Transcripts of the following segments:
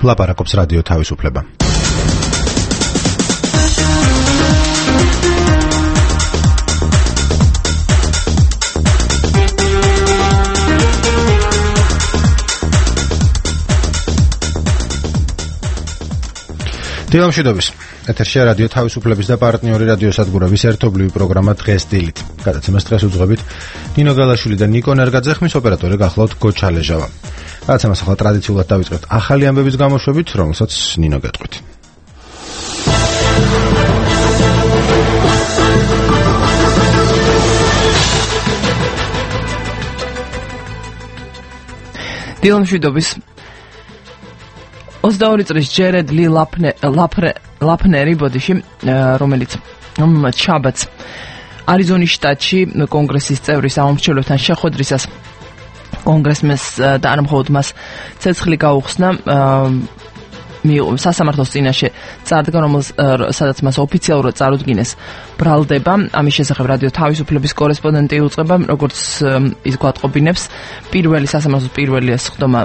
ლაპარაკობს რადიო თავისუფლება. დილამშვიდობის. ეთერშია რადიო თავისუფლების და პარტნიორი რადიოსადგურების ერთობლივი პროგრამა დღეს დილით. გადაცემას დღეს უძღვებით ნინო გალაშვილი და ნიკო ნერგაძე, ხმის ოპერატორი გახლავთ გოჩალეჟავა. გადაცემას ახლა ტრადიციულად დავიწყებთ ახალი ამბების გამოშვებით, რომელსაც ნინო გეტყვით. დილამშვიდობის. 22 წლის ჯერედ ლი ლაფნერი ბოდიში, რომელიც შაბათს არიზონის შტატში კონგრესის წევრის ამომრჩევლთან შეხვედრისას კონგრესმენს და არ მხოლოდ მას ცეცხლი გაუხსნა სასამართლოს წინაშე წარდგა, სადაც მას ოფიციალურად წარუდგინეს ბრალდება. ამის შესახებ რადიო თავისუფლების კორესპონდენტი უწყება, როგორც ის გვატყობინებს, სასამართლოს პირველი სხდომა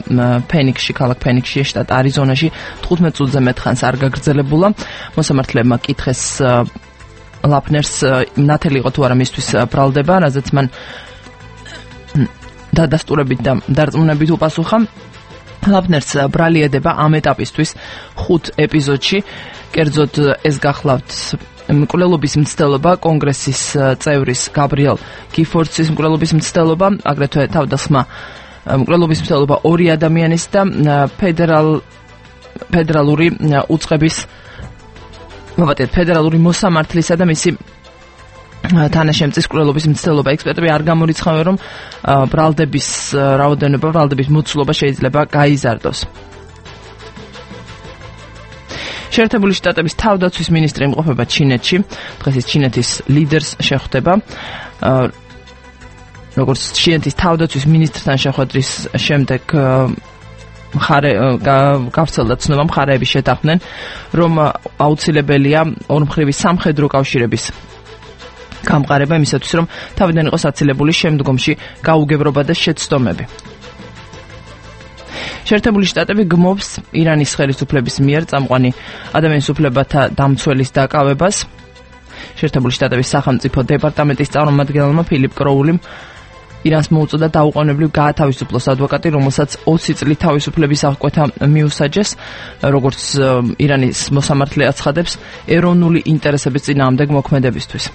ქალაქ ფენიქსში, შტატ არიზონაში 15 წუთზე მეტ ხანს არ გაგრძელებულა. მოსამართლეებმა კითხეს ლაფნერს ნათელი იყო თუ არა მისთვის ბრალდება, რაზეც მან დადასტურებით და დარწმუნებით უპასუხა. ლაფნერს ბრალი ედება ამ ეტაპისთვის 5 ეპიზოდში. კერძოდ ეს გახლავთ მკვლელობის მცდელობა, კონგრესის წევრის გაბრიელ გიფორდსის მკვლელობის მცდელობა, აგრეთვე თავდასხმა მკვლელობის მცდელობა 2 ადამიანის და ფედერალური მოსამართლისა და მისი თანაშემწის მკვლელობის მცდელობა. ექსპერტები არ გამორიცხავენ, რომ ბრალდების რაოდენობა, ბრალდების მოცულობა შეიძლება გაიზარდოს. შეერთებული შტატების თავდაცვის მინისტრი იმყოფება ჩინეთში. დღეს ის ჩინეთის ლიდერს შეხვდება. როგორც ჩინეთის თავდაცვის მინისტრთან შეხვედრის შემდეგ გავრცელდა ცნობა, მხარეები შეთანხმდნენ, რომ აუცილებელია ორმხრივი სამხედრო კავშირების გამყარება იმისათვის, რომ თავიდან იყოს აცილებული შემდგომში გაუგებრობა და შეცდომები. შეერთებული შტატები გმობს ირანის ხელისუფლების მიერ წამყვანი ადამიანის უფლებათა დამცველის დაკავებას. შეერთებული შტატების სახელმწიფო დეპარტამენტის წარმომადგენელმა ფილიპ კროულიმ ირანს მოუწოდა დაუყოვნებლივ გაათავისუფლოს ადვოკატი, რომელსაც 20 წლით თავისუფლების აღკვეთა მიუსაჯეს. როგორც ირანის მოსამართლე აცხადებს, ეროვნული ინტერესების წინააღმდეგ მოქმედებისთვის.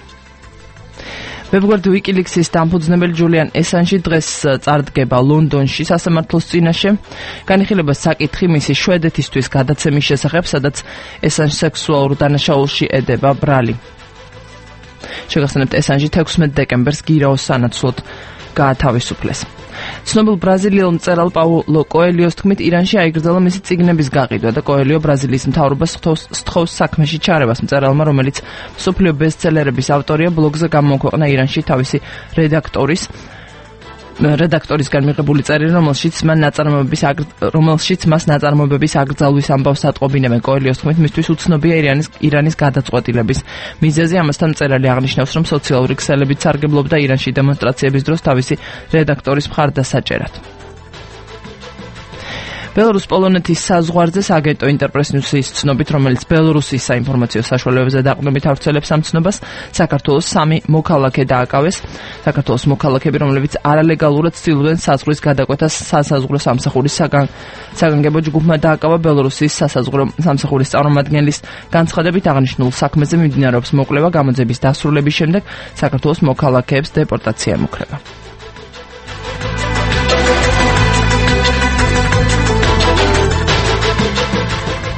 ვებგვერდ ვიკილიქსის დამფუძნებელი ჯულიან ესანჟი დღეს წარდგება ლონდონში სასამართლოს წინაშე. განიხილება საკითხი მისი შვედეთისთვის გადაცემის შესახებ, სადაც ესანჟი სექსუალურ დანაშაულში ედება ბრალი. შეგახსენებთ, ესანჟი 16 დეკემბერს გირაოს სანაცვლოდ გაათავისუფლეს. ცნობილ ბრაზილიელ მწერალ პაულო კოელიოს თქმით, ირანში აიგრძელა მისი წიგნების გაყიდვა და კოელიო ბრაზილიის მთავრობას სთხოვს საქმეში ჩარევას. მწერალმა, რომელიც მსოფლიო ბესტსელერების ავტორია, ბლოგზე გამოქვეყნა ირანში თავისი რედაქტორისგან მიღებული წერილი, რომელშიც მას ნაწარმოებების აკრძალვის ამბავს ატყობინებენ. კოელიოს თქმით, მისთვის უცნობია ირანის გადაწყვეტილების მიზეზი. ამასთან მწერალი აღნიშნავს, რომ სოციალური ქსელებით სარგებლობდა ირანში დემონსტრაციების დროს თავისი რედაქტორის მხარდასაჭერად. ბელორუს-პოლონეთის საზღვარზე სააგენტო ინტერპრეს-ნიუსის ცნობით, რომელიც ბელორუსის საინფორმაციო საშუალებებზე დაყრდნობით ავრცელებს ამ ცნობას, საქართველოს 3 მოქალაქე დააკავეს. საქართველოს მოქალაქეები, რომლებიც არალეგალურად ცდილობდნენ საზღვრის გადაკვეთას სასაზღვრო სამსახურის საგანგებო ჯგუფმა დააკავა. ბელორუსის სასაზღვრო სამსახურის წარმომადგენლის განცხადებით, აღნიშნულ საქმეზე მიმდინარეობს მოკვლევა. გამოძიების დასრულების შემდეგ საქართველოს მოქალაქეებს დეპორტაცია ემუქრება.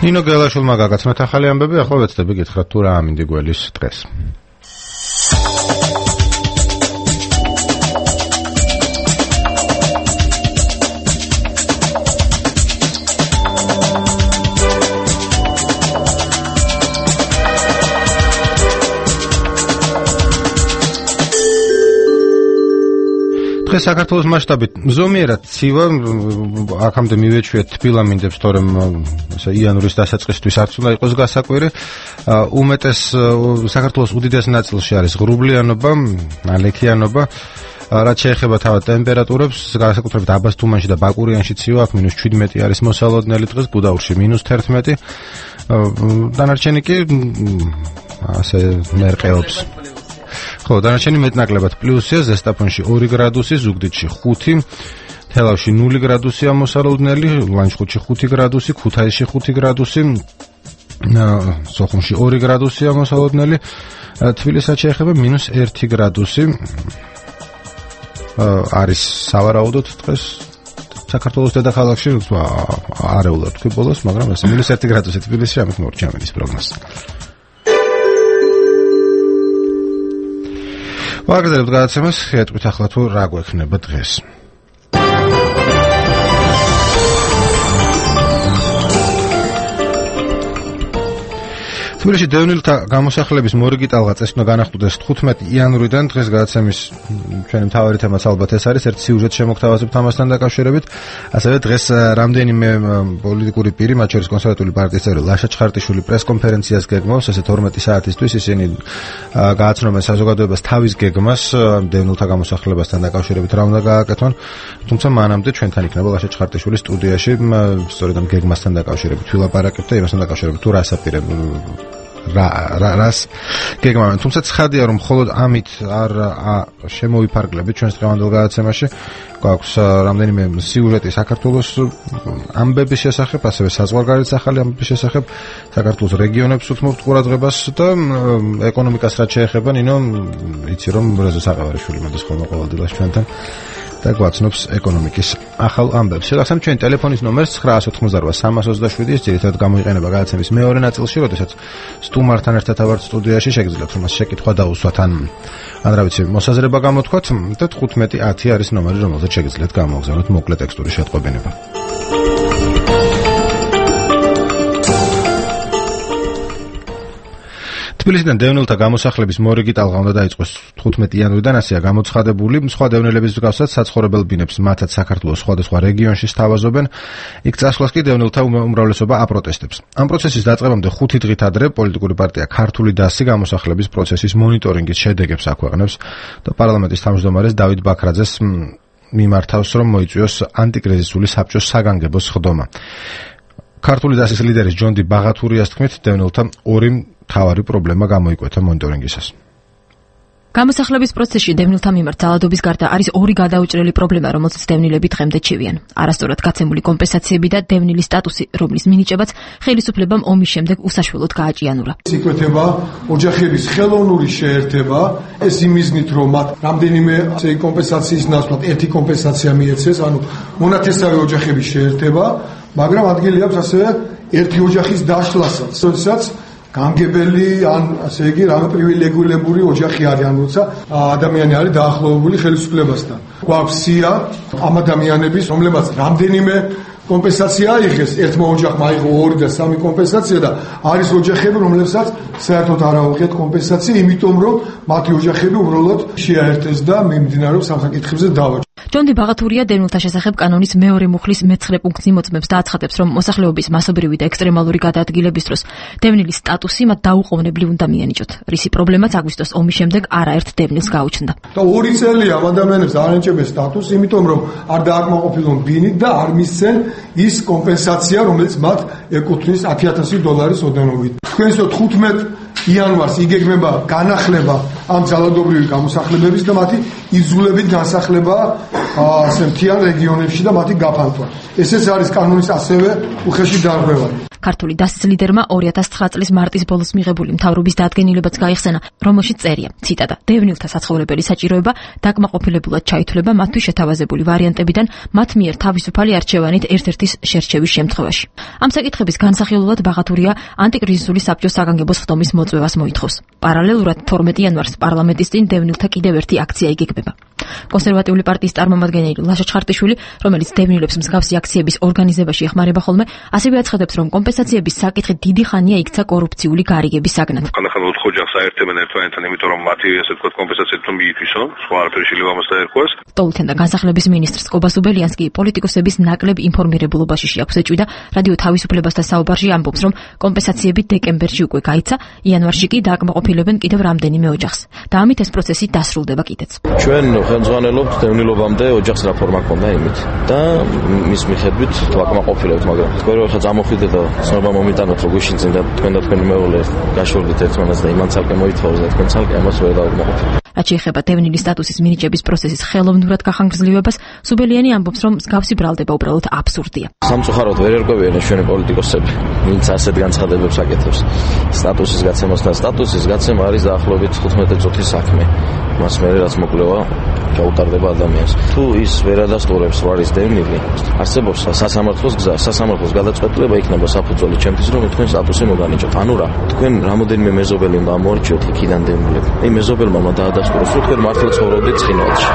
ნინო გელაშვილმა გაგაცნოთ ახალი ამბები, ახლა ვეცდები გითხრათ თუ რა ამინდი გველის დღეს. დღეს საქართველოს მასშტაბით ზომიერად ცივა, აქამდე მივეჩვიეთ თბილამინდებს, თორემ იანვრის დასაწყისთვის არც უნდა იყოს გასაკვირი. უმეტეს საქართველოს უდიდეს ნაწილში არის ღრუბლიანობა, ალექიანობა. რაც შეეხება თავად ტემპერატურებს, განსაკუთრებით აბას თუმანში და ბაკურიანში ცივა აქ -17 არის მოსალოდნელი დღეს, გუდაურში -11. დანარჩენი კი ასე მერყეობს. ხო, დანარჩენი მეტნაკლებად პლუსია, ზესტაფონში 2 გრადუსი, ზუგდიდში 5, თელავში 0 გრადუსია მოსალოდნელი, ლანჩხუთში 5 გრადუსი, ქუთაისში 5 გრადუსი, სოხუმში 2 გრადუსია მოსალოდნელი, თბილისსაც შეეხება -1 გრადუსი. არის სავარაუდოდ დღეს საქართველოს დედაქალაქში არეულად თქვი ბოლოს, მაგრამ ესე -1 გრადუსი თბილისში ამით მორჩა ამის პროგნოზი. ვაგრძელებთ გადაცემას, ეტყვით ახლა თუ რა გვექნება დღეს. თბილისში დევნილთა გამოსახლების მორიგი ტალღა წესვნა განახლდეს 15 იანვრიდან. დღეს გადაცემის ჩვენი მთავარი თემაც ალბათ ეს არის, ერთ სიუჟეტს შემოგთავაზებთ ამასთან დაკავშირებით. ასევე დღეს რამდენიმე პოლიტიკური პირი, მათ შორის კონსერვატული პარტიის წევრი ლაშა ჩხარტიშვილი პრესკონფერენციას გეგმავს, ესე 12 საათისთვის ისინი გააცნობენ საზოგადოებას თავის გეგმას დევნილთა გამოსახლებასთან დაკავშირებით რა უნდა გააკეთონ. თუმცა მანამდე ჩვენთან იქნება ლაშა ჩხარტიშვილი სტუდიაში, სწორედ ამ გეგმასთან დაკავშირებით ვილაპარაკებთ და იმასთან დაკავშირებით თუ რას აპირებ რას გეგმავენ. თუმცა ცხადია რომ მხოლოდ ამით არ შემოვიფარგლებით ჩვენს დღევანდელ გადაცემაში. გვაქვს რამდენიმე სიუჟეტი საქართველოს ამბების შესახებ, ასევე საზღვარგარეთ ახალი ამბების შესახებ, საქართველოს რეგიონებს უთმობთ ყურადღებას და ეკონომიკას რაც შეეხება, ნინო იცი რომ რეზო საყევარიშვილი მოდის ხოლმე ყოველდღიურად ჩვენთან და გვაცნობს ეკონომიკის ახალ ამბებს. შეგახსენებ ჩვენი ტელეფონის ნომერს 988 327, ეს ძირითადად გამოიყენება გადაცემის მეორე ნაწილში, როდესაც სტუმართან ერთად ავართ სტუდიაში, შეგიძლიათ რომ მას შეკითხვა დაუსვათ ან რა ვიცი, მოსაზრება გამოთქვათ და 1510 არის ნომერი, რომელზეც შეგიძლიათ გამოგზავნოთ მოკლე ტექსტური შეტყობინება. თბილისიდან დევნილთა გამოსახლების მორიგი ტალღა უნდა დაიწყოს 15 იანვრიდან, ასეა გამოცხადებული. სხვა დევნილების მსგავსად საცხოვრებელ ბინებს მათაც საქართველოს სხვადასხვა რეგიონში სთავაზობენ. იქ წასვლას კი დევნილთა უმრავლესობა აპროტესტებს. ამ პროცესის დაწყებამდე 5 დღით ადრე პოლიტიკური პარტია ქართული დასი გამოსახლების პროცესის მონიტორინგის შედეგებს აქვეყნებს და პარლამენტის თავმჯდომარეს დავით ბაქრაძეს მიმართავს, რომ მოიწვიოს ანტიკრიზისული საბჭოს საგანგებო სხდომა. ქართული დასის ლიდერის ჯონდი ბაღათურიას თქმით, დევნილთა ორი მთავარი პრობლემა გამოიკვეთა მონიტორინგისას. გამოსახლების პროცესში დევნილთა მიმართ ძალადობის გარდა არის ორი გადაუჭრელი პრობლემა, რომელზეც დევნილები დღემდე ჩივიან. არასწორად გაცემული კომპენსაციები და დევნილის სტატუსი, რომლის მინიჭებაც ხელისუფლებამ ომის შემდეგ უსაშველოდ გააჭიანურა. იკვეთება ოჯახების ხელოვნური შეერთება, ეს იმიზნით, რომ მათ რამდენიმე კომპენსაციის ნაცვლად ერთი კომპენსაცია მიეცეს, ანუ მონათესავე ოჯახების შეერთება, მაგრამ ადგილი აქვს ასევე ერთი ოჯახის დაშლასაც, როდესაც გამგებელი ან ასე იგი რამე პრივილეგირებული ოჯახი არის, ან როცა ადამიანი არის დაახლოებული ხელისუფლებასთან. გვაქვს სია ამ ადამიანების, რომლებსაც რამდენიმე კომპენსაცია აიღეს, ერთმა ოჯახმა აიღო 2 და 3 კომპენსაცია და არის ოჯახები, რომლებსაც საერთოდ არ აუღიათ კომპენსაცია, იმიტომ რომ მათი ოჯახები უბრალოდ შეაერთეს და მიმდინარეობს სამსაკითხებზე დავა. ჯონდი ბაღათურია დევნილთა შესახებ კანონის მეორე მუხლის მე-9 პუნქტს იმოწმებს და აცხადებს, რომ მოსახლეობის მასობრივი და ექსტრემალური გადაადგილების დროს დევნის სტატუსი მათ დაუყოვნებლივ უნდა მიენიჭოთ. რისი პრობლემაც აგვისტოს ომის შემდეგ არაერთ დევნილს გაუჩნდა. და 2 წელია ამ ადამიანებს არ ენიჭებენ სტატუსს, იმიტომ რომ არ დააკმაყოფილონ ბინით და არ მისცენ ის კომპენსაცია, რომელიც მათ ეკუთვნის $10,000 ოდენობით. თქვენს 15 იანვარს იგეგმება განახლება ამ ძალადობრივი გამოსახლებების და მათი იძულებით განსახლება ასე მთიან რეგიონებში და მათი გაფანტვა. ესეც არის კანონის ასევე უხეში დარღვევანი. ქართული დასის ლიდერმა 2009 წლის მარტის ბოლოს მიღებული მთავრობის დადგენილებაც გაიხსენა, რომელშიც წერია, ციტატა: დევნილთა საცხოვრებელი საჭიროება დაკმაყოფილებულად ჩაითვლება მათთვის შეთავაზებული ვარიანტებიდან მათ მიერ თავისუფალი არჩევანით ერთ-ერთის შერჩევის შემთხვევაში. ამ საკითხების განსახილველად ბაღათურია ანტიკრიზისული საბჭოს საგანგებო სხდომის მოწვევას მოითხოვს. პარალელურად 12 იანვარს პარლამენტის წინ დევნილთა კიდევ ერთი აქცია იგეგმება. კონსერვატიული პარტიის წარმომადგენელი ლაშა ჩხარტიშვილი, რომელიც დევნილებს მსგავსი აქციების ორგანიზებაში ეხმარება ხოლმე, ასევე აცხადებს, რომ კომპენსაციების საკითხი დიდი ხანია იქცა კორუფციული გარიგების საგნად. ხანდახან ოთხ-ოჯახს აერთებენ ერთმანეთთან, იმიტომ რომ მათი ასე ვთქვათ კომპენსაციები თუ მიითვისონ, სხვა არაფერი შეიძლება ამას დაერქვას. სტოლთენ და განსახლების მინისტრს კობას უბელიანს კი პოლიტიკოსების ნაკლებ ინფორმირებულობაში შეაქვს ეჭვი და რადიო თავისუფლებასთან საუბარში ამბობს, რომ კომპენსაციები დეკემბერში უკვე გაიცა, იანვარში კი დააკმაყოფილებენ კიდევ რამდენიმე ოჯახს. და ამით ეს პროცესი დასრულდება კიდეც. ჩვენ ხელმძღვანელობთ დევნილობამდე ოჯახს რაფორმა ქონდა იმით და მის მიხედვით ვაკმაყოფილებთ, მაგრამ თქვენ რო ხა წამოხვიდეთ და ცნობა მომიტანოთ რო გვიშინძენ და თქვენ და თქვენი მეუღლე გაშორდით ერთმანეთს და იმან ცალკე მოითხოვეს და თქვენ ცალკე ამას ვერ დავაკმაყოფილებთ. რაც შეეხება დევნილი სტატუსის მინიჭების პროცესის ხელოვნურად გახანგრძლივებას, სუბელიანი ამბობს, რომ მსგავსი ბრალდება უბრალოდ აბსურდია. სამწუხაროდ ვერ ერკვევიან ჩვენი პოლიტიკოსები, ვინც ასეთ განცხადებებს აკეთებს. სტატუსის გაცემასთან სტატუსის გაცემა არის დაახლოებით 15 წუთის საქმე. მას მერე რაც მოკვლევა გაუტარდება ადამიანს. თუ ის ვერ ადასტურებს რა არის დევნილი, არსებობს სასამართლოს გზა, სასამართლოს გადაწყვეტილება იქნება საფუძველი ჩემთვის, რომ თქვენ სტატუსი მოგანიჭოთ. ანუ რა, თქვენ რამოდენიმე მეზობელი უნდა ამოარჩიოთ იქიდან დევნილები. აი მეზობელმა უნდა დაადასტუროს, რომ თქვენ მართლა ცხოვრობდით ცხინვალში.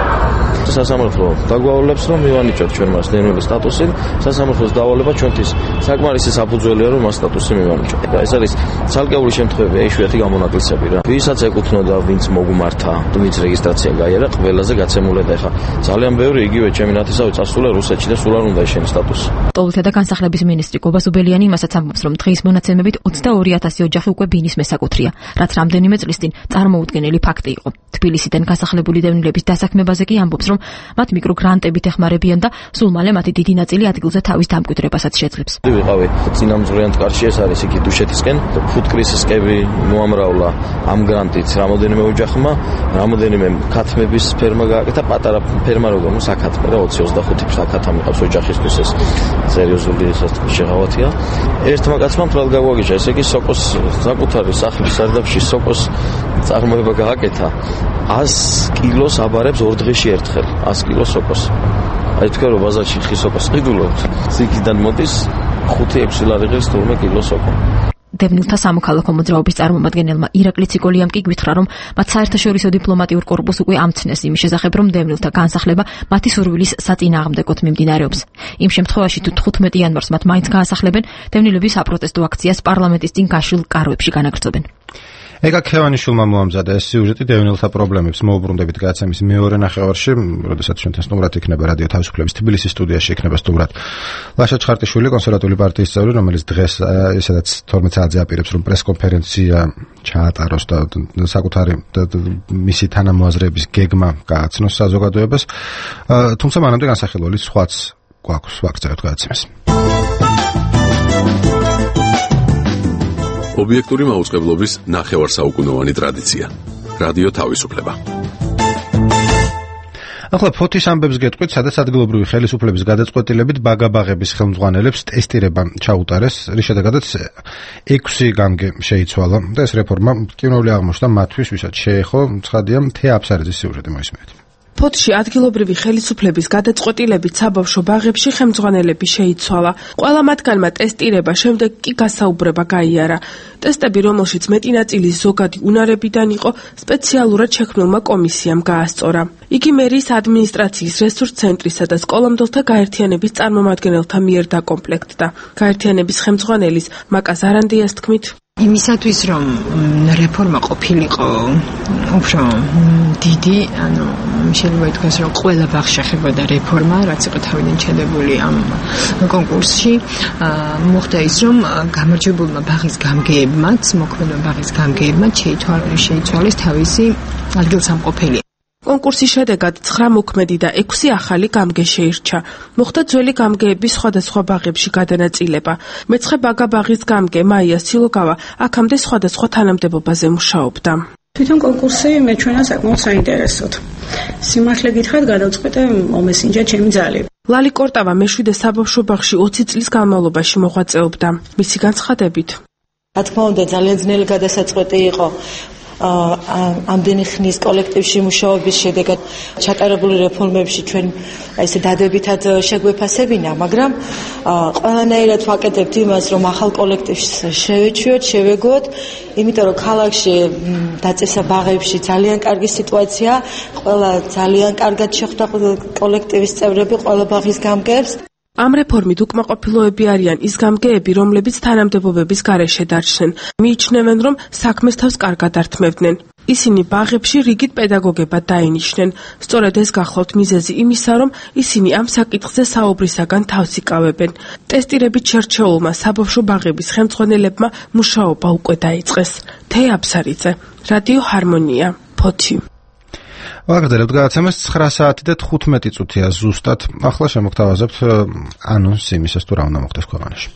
სასამართლო დაგვავალებს, რომ მივანიჭოთ ჩვენ მას დევნილი სტატუსი, სასამართლოს დავალება ჩვენთვის საკმარისი საფუძველია, რომ მას სტატუსი მივანიჭოთ. ეს არის ცალკეული შემთხვევები, იშვიათი გამონაკლისები რა. ვისაც ეკუთვნოდა, ვინც მოგმართა, ვინც რეგისტრაცია გაიარა, ყველაზე გაცემულად ეხა. ძალიან ბევრი იგივე ჩემი ნათესავი წასულა რუსეთში და სულ არ უნდა ეშენის სტატუსი. სტოლთა და განსახლების მინისტრი კობას უბელიანი იმასაც ამბობს, რომ დღის მონაცემებით 22000 ოჯახი უკვე ბინის მესაკუთრია, რაც რამდენიმე წლის წინ წარმოუდგენელი ფაქტი იყო. თბილისიდან განსახლებული დევნილების დასაქმებაზე კი ამბობს, რომ მათ მიკროგრანტებით ეხმარებიან და სულ მალე მათი დიდი ნაწილი ადგილზე თავის დამკვიდრებასაც შეძლებს. ვიყავი წინამძღვრიან კარში, ეს არის იქით დუშეთისკენ, ფუტკრისისკები მოამრავლა ამ გრანტით რამოდენიმე ოჯახმა, რამოდენიმე ქათმების ფერმა გააკეთა, პატარა ფერმა როგორ საკათმე და 20-25 საკათა მიყავს ოჯახისთვის, ეს სერიოზული შეღავათია. ერთმა კაცმა მთლად გაგვაგიჟა, ესე იგი სოკოს საკუთარი სახლის სარდაფში სოკოს წარმოება გააკეთა. 100 კილოს აბარებს ორ დღეში ერთხელ, 100 კილოს სოკოს. აი თქვენ რომ ბაზარში ხის სოკოს ყიდულობთ, იქიდან მოდის 5-6 ლარი ღირს თურმე კილო სოკო. დევნილთა სამოქალაქო მოძრაობის წარმომადგენელმა ირაკლი ციკოლიამ კი გვითხრა, რომ მათ საერთაშორისო დიპლომატიურ კორპუსს უკვე ამცნეს იმის შესახებ, რომ დევნილთა განსახლება მათი სურვილის საწინააღმდეგოდ მიმდინარეობს. იმ შემთხვევაში, თუ 15 იანვარს მათ მაინც გაასახლებენ, დევნილების აპროტესტო აქციას პარლამენტის წინ გაშლილ კარვებში განაგრძობენ. ეკა ქევანიშვილმა მოამზადა ეს სიუჟეტი დევნილთა პრობლემებს მოუბრუნდებით გაცემის მეორე ნახევარში, როდესაც ჩვენთან სტუმრად იქნება რადიო თავისუფლების თბილისის სტუდიაში იქნება სტუმრად ლაშა ჩხარტიშვილი, კონსერვატული პარტიის წევრი, რომელიც დღეს ესედაც 12 საათზე აპირებს, რომ პრესკონფერენცია ჩაატაროს და საკუთარი მისი თანამოაზრეების გეგმა გააცნოს საზოგადოებას. თუმცა მანამდე განსახილველი სხვაც გვაქვს ვაქცევთ გადაცემას. ობიექტური მაუწყებლობის ნახევარსაუკუნოვანი ტრადიცია. რადიო თავისუფლება. ახლა ფოთის ამბებს გეტყვით, სადაც ადგილობრივი ხელისუფლების გადაწყვეტილებით ბაგაბაღების ხელმძღვანელებს ტესტირება ჩაუტარეს, რის შედეგადაც 6 გამგე შეიცვალა და ეს რეფორმა კინოული აღმოჩნდა მათთვის, ვისაც შეეხო. ცხადია, თეა აფსარიძის სიუჟეტი მოისმენთ. ფოთში ადგილობრივი ხელისუფლების გადაწყვეტილებით საბავშვო ბაღებში ხელმძღვანელები შეიცვალა. ყველა მათგანმა ტესტირება, შემდეგ კი გასაუბრება გაიარა. ტესტები, რომელშიც მეტი ნაწილი ზოგადი უნარებიდან იყო, სპეციალურად შექმნილმა კომისიამ გაასწორა. იგი მერის ადმინისტრაციის რესურს ცენტრისა და სკოლამდელთა გაერთიანების წარმომადგენელთა მიერ დაკომპლექტდა. გაერთიანების ხელმძღვანელის მაკა ზარანდიას თქმით, იმისათვის რომ რეფორმა ყოფილიყო უფრო დიდი, ანუ შეიძლება ითქვას რომ ყველა ბაღში ხებოდა რეფორმა, რაც იყო თავიდან ჩადებული ამ კონკურსში, მოხდა ის რომ გამარჯვებულმა ბაღის გამგეებმაც, მოქმედმა ბაღის გამგეებმაც შეიცვალეს თავისი ადგილსამყოფელი. კონკურსის შედეგად 9 მოქმედი და 6 ახალი გამგე შეირჩა. მოხდა ძველი გამგეების სხვადასხვა ბაღებში გადანაწილება. მეცხრე ბაგაბაღის გამგე მაია სილოგავა აქამდე სხვადასხვა თანამდებობაზე მუშაობდა. თვითონ კონკურსი მეჩვენა საკმაოდ საინტერესოდ. სიმართლე გითხრათ, გადავწყვეტე მომესინჯა ჩემი ძალები. ლალი კორტავა მეშვიდე საბავშვო ბაღში 20 წლის განმავლობაში მოღვაწეობდა. მისი განცხადებით, რა თქმა უნდა, ძალიან ძნელი გადასაწყვეტი იყო. ამდენი ხნის კოლექტივში მუშაობის შედეგად ჩატარებული რეფორმებში ჩვენ ესე დადებითად შეგვეფასებინა, მაგრამ ყველანაირად ვაკეთებთ იმას, რომ ახალ კოლექტივს შევეჩვიოთ, შევეგოთ, იმიტომ რომ ქალაქში დაწესა ბაღებში ძალიან კარგი სიტუაცია, ყველა ძალიან კარგად შეხვდა კოლექტივის წევრები, ყველა ბაღის გამგეებს. ამ რეფორმით უკმაყოფილოები არიან ის გამგეები, რომლებიც თანამდებობების გარეშე დარჩნენ. მიიჩნევენ, რომ საქმეს თავს კარგად ართმევდნენ. ისინი ბაღებში რიგით პედაგოგებად დაინიშნენ. სწორედ ეს გახლავთ მიზეზი იმისა, რომ ისინი ამ საკითხზე საუბრისაგან თავს იკავებენ. ტესტირებით შერჩეულმა საბავშვო ბაღების ხელმძღვანელებმა მუშაობა უკვე დაიწყეს. თეა აბსარიძე, რადიო ჰარმონია, ფოთი. ვაგრძელებთ გადაცემას 9 საათი და 15 წუთია ზუსტად. ახლა შემოგთავაზებთ ანონსს იმისას, თუ რა უნდა მოხდეს ქვეყანაში.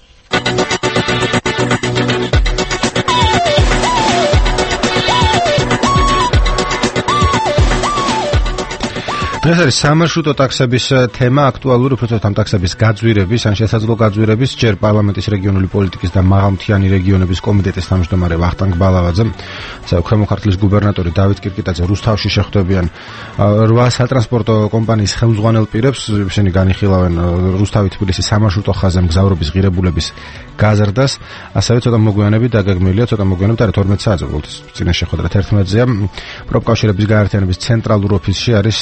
დღეს არის სამარშრუტო ტაქსების თემა აქტუალური, უბრალოდ ამ ტაქსების გაძვირების ან შესაძლო გაძვირების ჯერ პარლამენტის რეგიონული პოლიტიკის და მაღალმთიანი რეგიონების კომიტეტის თავმჯდომარე ვახტანგ ბალავაძე, ქვემო ქართლის გუბერნატორი დავით კირკიტაძე რუსთავში შეხვდებიან 8 სატრანსპორტო კომპანიის ხელმძღვანელ პირებს. ისინი განიხილავენ რუსთავი-თბილისი სამარშრუტო ხაზზე მგზავრობის ღირებულების გაზრდას. ასევე ცოტა მოგვიანებით დაგეგმილია, ცოტა მოგვიანებით არის 12 საათზე, უბრალოდ წინა შეხვედრა 11-ზეა. პროფკავშირების გაერთიანების ცენტრალურ ოფისში არის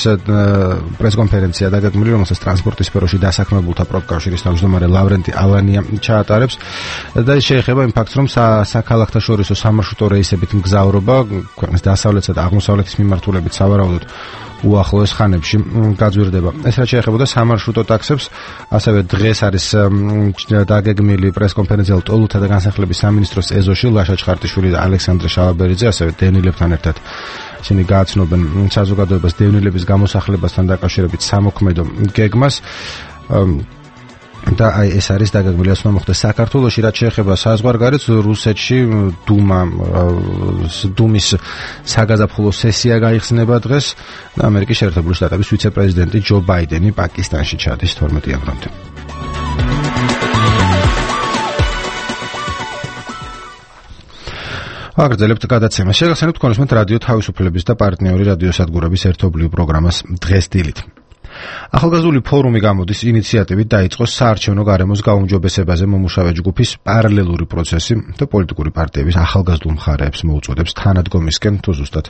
პრესკონფერენცია დაგეგმილი, რომელსაც ტრანსპორტის სფეროში დასაქმებულთა პროფკავშირის თავმჯდომარე ლავრენტი ალანია ჩაატარებს და შეეხება იმ ფაქტს, რომ საქალაქთაშორისო სამარშრუტო რეისებით მგზავრობა ქვეყნის დასავლეთსა და აღმოსავლეთის მიმართულებით სავარაუდოდ უახლოეს ხანებში გაძვირდება. ეს რაც შეეხებოდა სამარშრუტო ტაქსებს, ასევე დღეს არის დაგეგმილი პრესკონფერენცია ტოლთა და განსახლების სამინისტროს ეზოში ლაშა ჩხარტიშვილი და ალექსანდრე შალაბერიძე, ასევე დევნილებთან ერთად ისინი გააცნობენ საზოგადოებას დევნილების გამოსახლებასთან დაკავშირებით სამოქმედო გეგმას. და აი ეს არის დაგეგმილი, ასე მოხდეს საქართველოში. რაც შეეხება საზღვარგარეთს, რუსეთში დუმის საგაზაფხულო სესია გაიხსნება დღეს და ამერიკის შეერთებული შტატების ვიცე-პრეზიდენტი ჯო ბაიდენი პაკისტანში ჩადის 12 იანვრამდე. აგრძელებთ გადაცემას. შეგახსენებთ თქვენს რადიო თავისუფლების და პარტნიორი რადიოსადგურების ერთობლივ პროგრამას დღეს დილით. ახალგაზრდული ფორუმი გამოდის ინიციატივით დაიწყო საარჩევნო გარემოს გაუმჯობესებაზე მომუშავე ჯგუფის პარალელური პროცესი და პოლიტიკური პარტიების ახალგაზრდულ მხარეებს მოუწოდებს თანადგომისკენ, თუ ზუსტად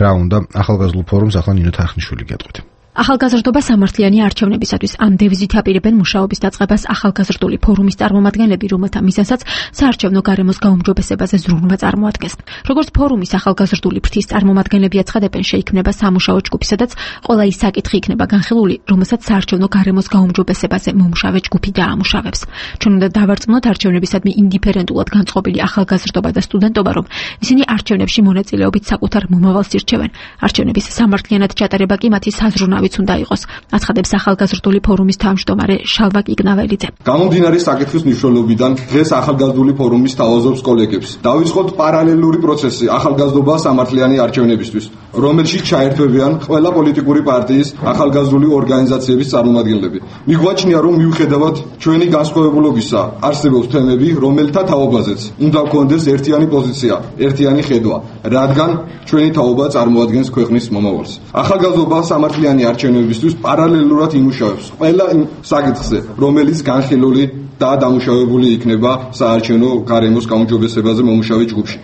რა უნდა ახალგაზრდულ ფორუმს ახლა ნინო თარხნიშვილი გეტყვით. ახალგაზრდობა სამართლიანი არჩევნებისათვის ამ დევიზით აპირებენ მუშაობის დაწყებას ახალგაზრდული ფორუმის წარმომადგენლები, რომელთა მიზანსაც საარჩევნო გარემოს გაუმჯობესებაზე ზრუნვა წარმოადგენს. როგორც ფორუმის ახალგაზრდული ფრთის წარმომადგენლები აცხადებენ, შეიქმნება სამუშაო ჯგუფი, სადაც ყველა ის საკითხი იქნება განხილული, რომელსაც საარჩევნო გარემოს გაუმჯობესებაზე მომუშავე ჯგუფი დაამუშავებს. ჩვენ უნდა დავარწმუნოთ არჩევნებისადმი ინდიფერენტულად განწყობილი ახალგაზრდობა და სტუდენტობა, რომ ისინი არჩევნებში მონაწილეობით საკუთარ მომავალს ირჩევენ. არჩევნების სამართლიანად ჩატარება კი მათი საზრუნავი უნდა იყოს, აცხადებს ახალგაზრდული ფორუმის თავმჯდომარე შალვა კიგნაველიძე. გამომდინარე საკითხის მნიშვნელობიდან დღეს ახალგაზრდული ფორუმის თავაზობს კოლეგებს. დავიწყოთ პარალელური პროცესი ახალგაზრდობა სამართლიანი არჩევნებისთვის, რომელშიც ჩაერთვებიან ყველა პოლიტიკური პარტიის ახალგაზრდული ორგანიზაციების წარმომადგენლები. მიგვაჩნია, რომ მიუხედავად ჩვენი განსხვავებულობისა, არსებობს თემები, რომელთა თაობაზეც უნდა გქონდეს ერთიანი პოზიცია, ერთიანი ხედვა, რადგან ჩვენი თაობა წარმოადგენს ქვეყნის მომავალს. ახალგაზრდობა სამართლიანი არჩევნებისთვის პარალელურად იმუშავებს ყველა იმ საკითხზე, რომელიც განხილული და დამუშავებული იქნება საარჩევნო გარემოს გაუმჯობესებაზე მომუშავე ჯგუფში.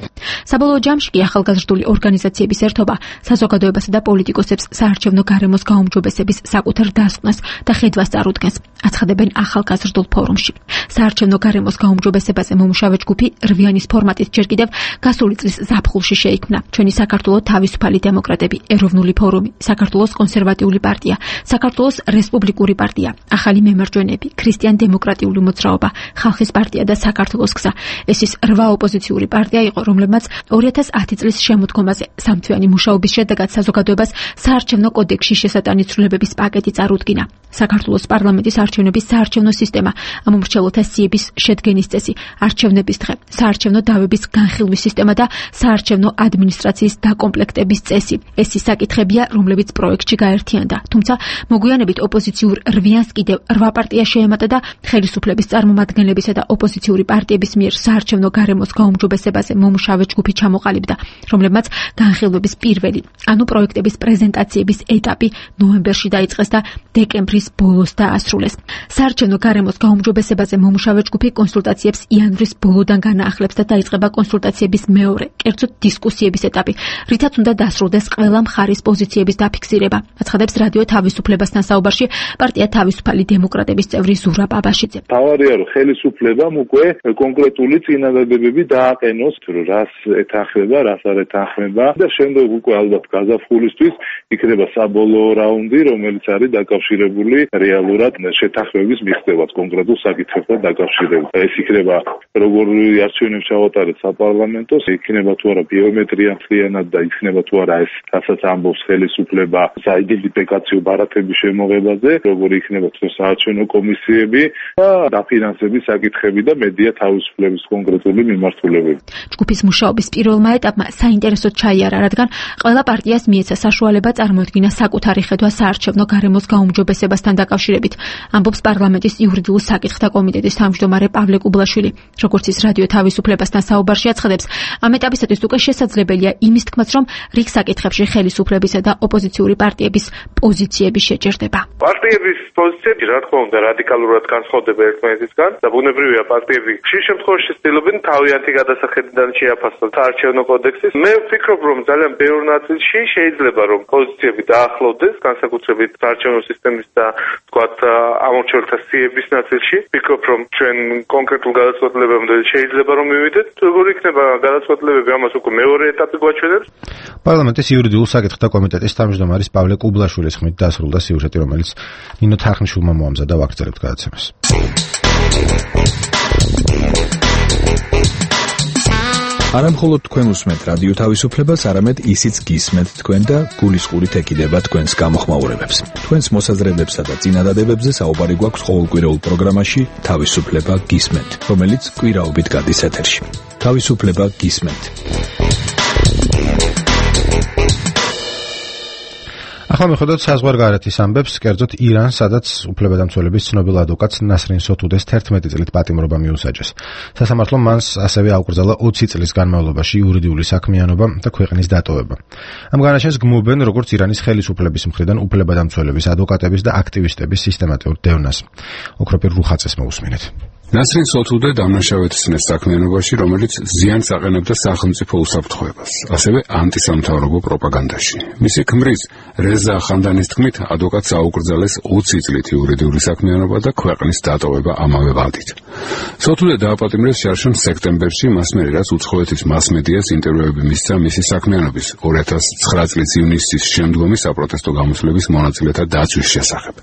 საბოლოო ჯამში კი ახალგაზრდული ორგანიზაციების ერთობა საზოგადოებასა და პოლიტიკოსებს საარჩევნო გარემოს გაუმჯობესების საკუთარ დასკვნას და ხედვას წარუდგენს, აცხადებენ ახალგაზრდულ ფორუმში. საარჩევნო გარემოს გაუმჯობესებაზე მომუშავე ჯგუფი რვიანის ფორმატით ჯერ კიდევ გასული წლის ზაფხულში შეიქმნა. ჩვენი საქართველოს თავისუფალი დემოკრატები, ეროვნული ფორუმი, საქართველოს კონსერვატიული პარტია, საქართველოს რესპუბლიკური პარტია, ახალი მემარჯვენეები, ქრისტიან-დემოკრატიული მოძრაობა, ხალხის პარტია და საქართველოს გზა. ეს ის 8 ოპოზიციური პარტია იყო, რომლებმაც 2010 წლის შემოდგომაზე სამთვიანი მუშაობის შედეგად საზოგადოებას საარჩევნო კოდექსში შესატანი ცვლილებების პაკეტი წარუდგინა. საქართველოს პარლამენტის არჩევნების საარჩევნო სისტემა, ამომრჩეველთა სიების შედგენის წესი, არჩევნების დღე, საარჩევნო დავების განხილვის სისტემა და საარჩევნო ადმინისტრაციის დაკომპლექტების წესი. ეს ის საკითხებია, რომლებიც პროექტში გაერთიანდა. თუმცა მოგვიანებით ოპოზიციურ რვიანს კიდევ 8 პარტია შეემატა და ხელისუფლების წარმომადგენლებისა და ოპოზიციური პარტიების მიერ საარჩევნო გარემოს გაუმჯობესებაზე მომუშავე ჯგუფი ჩამოყალიბდა, რომლებმაც განხილვების პირველი, ანუ პროექტების პრეზენტაციების ეტაპი ნოემბერში დაიწყეს და დეკემბრის ბოლოს დაასრულეს. საარჩევნო გარემოს გაუმჯობესებაზე მომუშავე ჯგუფი კონსულტაციებს იანვრის ბოლოდან განაახლებს და დაიწყება კონსულტაციების მეორე, კერძოდ დისკუსიების ეტაპი, რითაც უნდა დასრულდეს ყველა მხარის პოზიციების დაფიქსირება. აცხადებს რადიო თავისუფლებასთან საუბარში პარტია თავისუფალი დემოკრატების წევრი ზურაბ აბაშიძე. თავარია რომ ხელისუფლებამ უკვე კონკრეტული წინადადებები დააყენოს, რომ რას ეთანხმება, რას არ ეთანხმება და შემდეგ უკვე ალბათ გაზაფხულისთვის იქნება საბოლოო რაუნდი, რომელიც არის დაკავშირებული რეალურად შეთანხმების მიღწევას კონკრეტულ საკითხებთან დაკავშირებით. ეს იქნება როგორი არჩევნებს ჩავატარეთ საპარლამენტოს, იქნება თუ არა ბიომეტრია მთლიანად და იქნება თუ არა ეს რასაც ამბობს ხელისუფლება საიდენტიფიკაციო ბარათების შემოღებაზე, როგორი იქნება საარჩევნო კომისიები და დაფინანსების საკითხები და მედია თავისუფლების კონკრეტული მიმართულებები. ჯგუფის მუშაობის პირველმა ეტაპმა საინტერესოდ ჩაიარა, რადგან ყველა პარტიას მიეცა საშუალება წარმოედგინა საკუთარი ხედვა საარჩევნო გარემოს გაუმჯობესებასთან დაკავშირებით, ამბობს პარლამენტის იურიდიულ საკითხთა კომიტეტის თავმჯდომარე პავლე კუბლაშვილი. როგორც ის რადიო თავისუფლებასთან საუბარში აცხადებს, ამ ეტაპისათვის უკვე შესაძლებელია იმის თქმაც, რომ რიგ საკითხებში ხელისუფლებისა და ოპოზიციური პარტიების პოზიციები შეჭერდება. პარტიების პოზიციები, რა თქმა უნდა, რადიკალურად განსხვავდება ერთმანეთისგან და ბუნებრივია პარტიები ხშირ შემთხვევაში ცდილობენ თავიანთი გადასახედიდან შეაფასონ საარჩევნო კოდექსის. მე ვფიქრობ, რომ ძალიან ბევრ ნაწილში შეიძლება რომ პოზიციები დაახლოვდეს, განსაკუთრებით საარჩევნო სისტემის და თქვათ ამორჩეულთა სიების ნაწილში. ვფიქრობ, რომ ჩვენ კონკრეტულ გადაწყვეტილებამდე შეიძლება რომ მივიდეთ. როგორ იქნება გადაწყვეტილებები, ამას უკვე მეორე ეტაპი გვაჩვენებს. პარლამენტის იურიდიულ საკითხთა კომიტეტის თავმჯდომარის პავლე კუბლაშვილის ხმით დასრულდა სიუჟეტი, რომელიც ნინო თარხნიშვილმა მოამზადა. ვაგრძელებთ გადაცემას. არა მხოლოდ თქვენ უსმენთ რადიო თავისუფლებას, არამედ ისიც გისმენთ თქვენ და გულისყურით ეკიდება თქვენს გამოხმაურებებს. თქვენს მოსაზრებებსა და წინადადებებზე საუბარი გვაქვს ყოველკვირეულ პროგრამაში თავისუფლება გისმენთ, რომელიც კვირაობით გადის ეთერში. თავისუფლება გისმენთ. ახლა მიხვდეთ საზღვარგარეთის ამბებს, კერძოდ ირანს, სადაც უფლებადამცველების ცნობილ ადვოკატს ნასრინ სოთუდეს 11 წლით პატიმრობა მიუსაჯეს. სასამართლომ მას ასევე აუკრძალა 20 წლის განმავლობაში იურიდიული საქმიანობა და ქვეყნის დატოვება. ამ განაჩენს გმობენ როგორც ირანის ხელისუფლების მხრიდან უფლებადამცველების, ადვოკატების და აქტივისტების სისტემატიურ დევნას. ოქროპირ რუხაცეს მოусმინეთ. ნასრინ სოთუდე დამნაშავეცნეს საქმიანობაში, რომელიც ზიანს აყენებდა სახელმწიფო უსაფრთხოებას, ასევე ანტისამთავრობო პროპაგანდაში. მისი ქმრის რეზა ხანდანის თქმით, ადვოკატს აუკრძალეს 20 წლით იურიდიული საქმიანობა და ქვეყნის დატოვება ამავე ვადით. სოთუდე დააპატიმრეს შარშან სექტემბერში, მას მერე რაც უცხოეთის მასმედიას ინტერვიუები მისცა მისი საქმიანობის 2009 წლის ივნისის შემდგომი საპროტესტო გამოსვლების მონაწილეთა დაცვის შესახებ.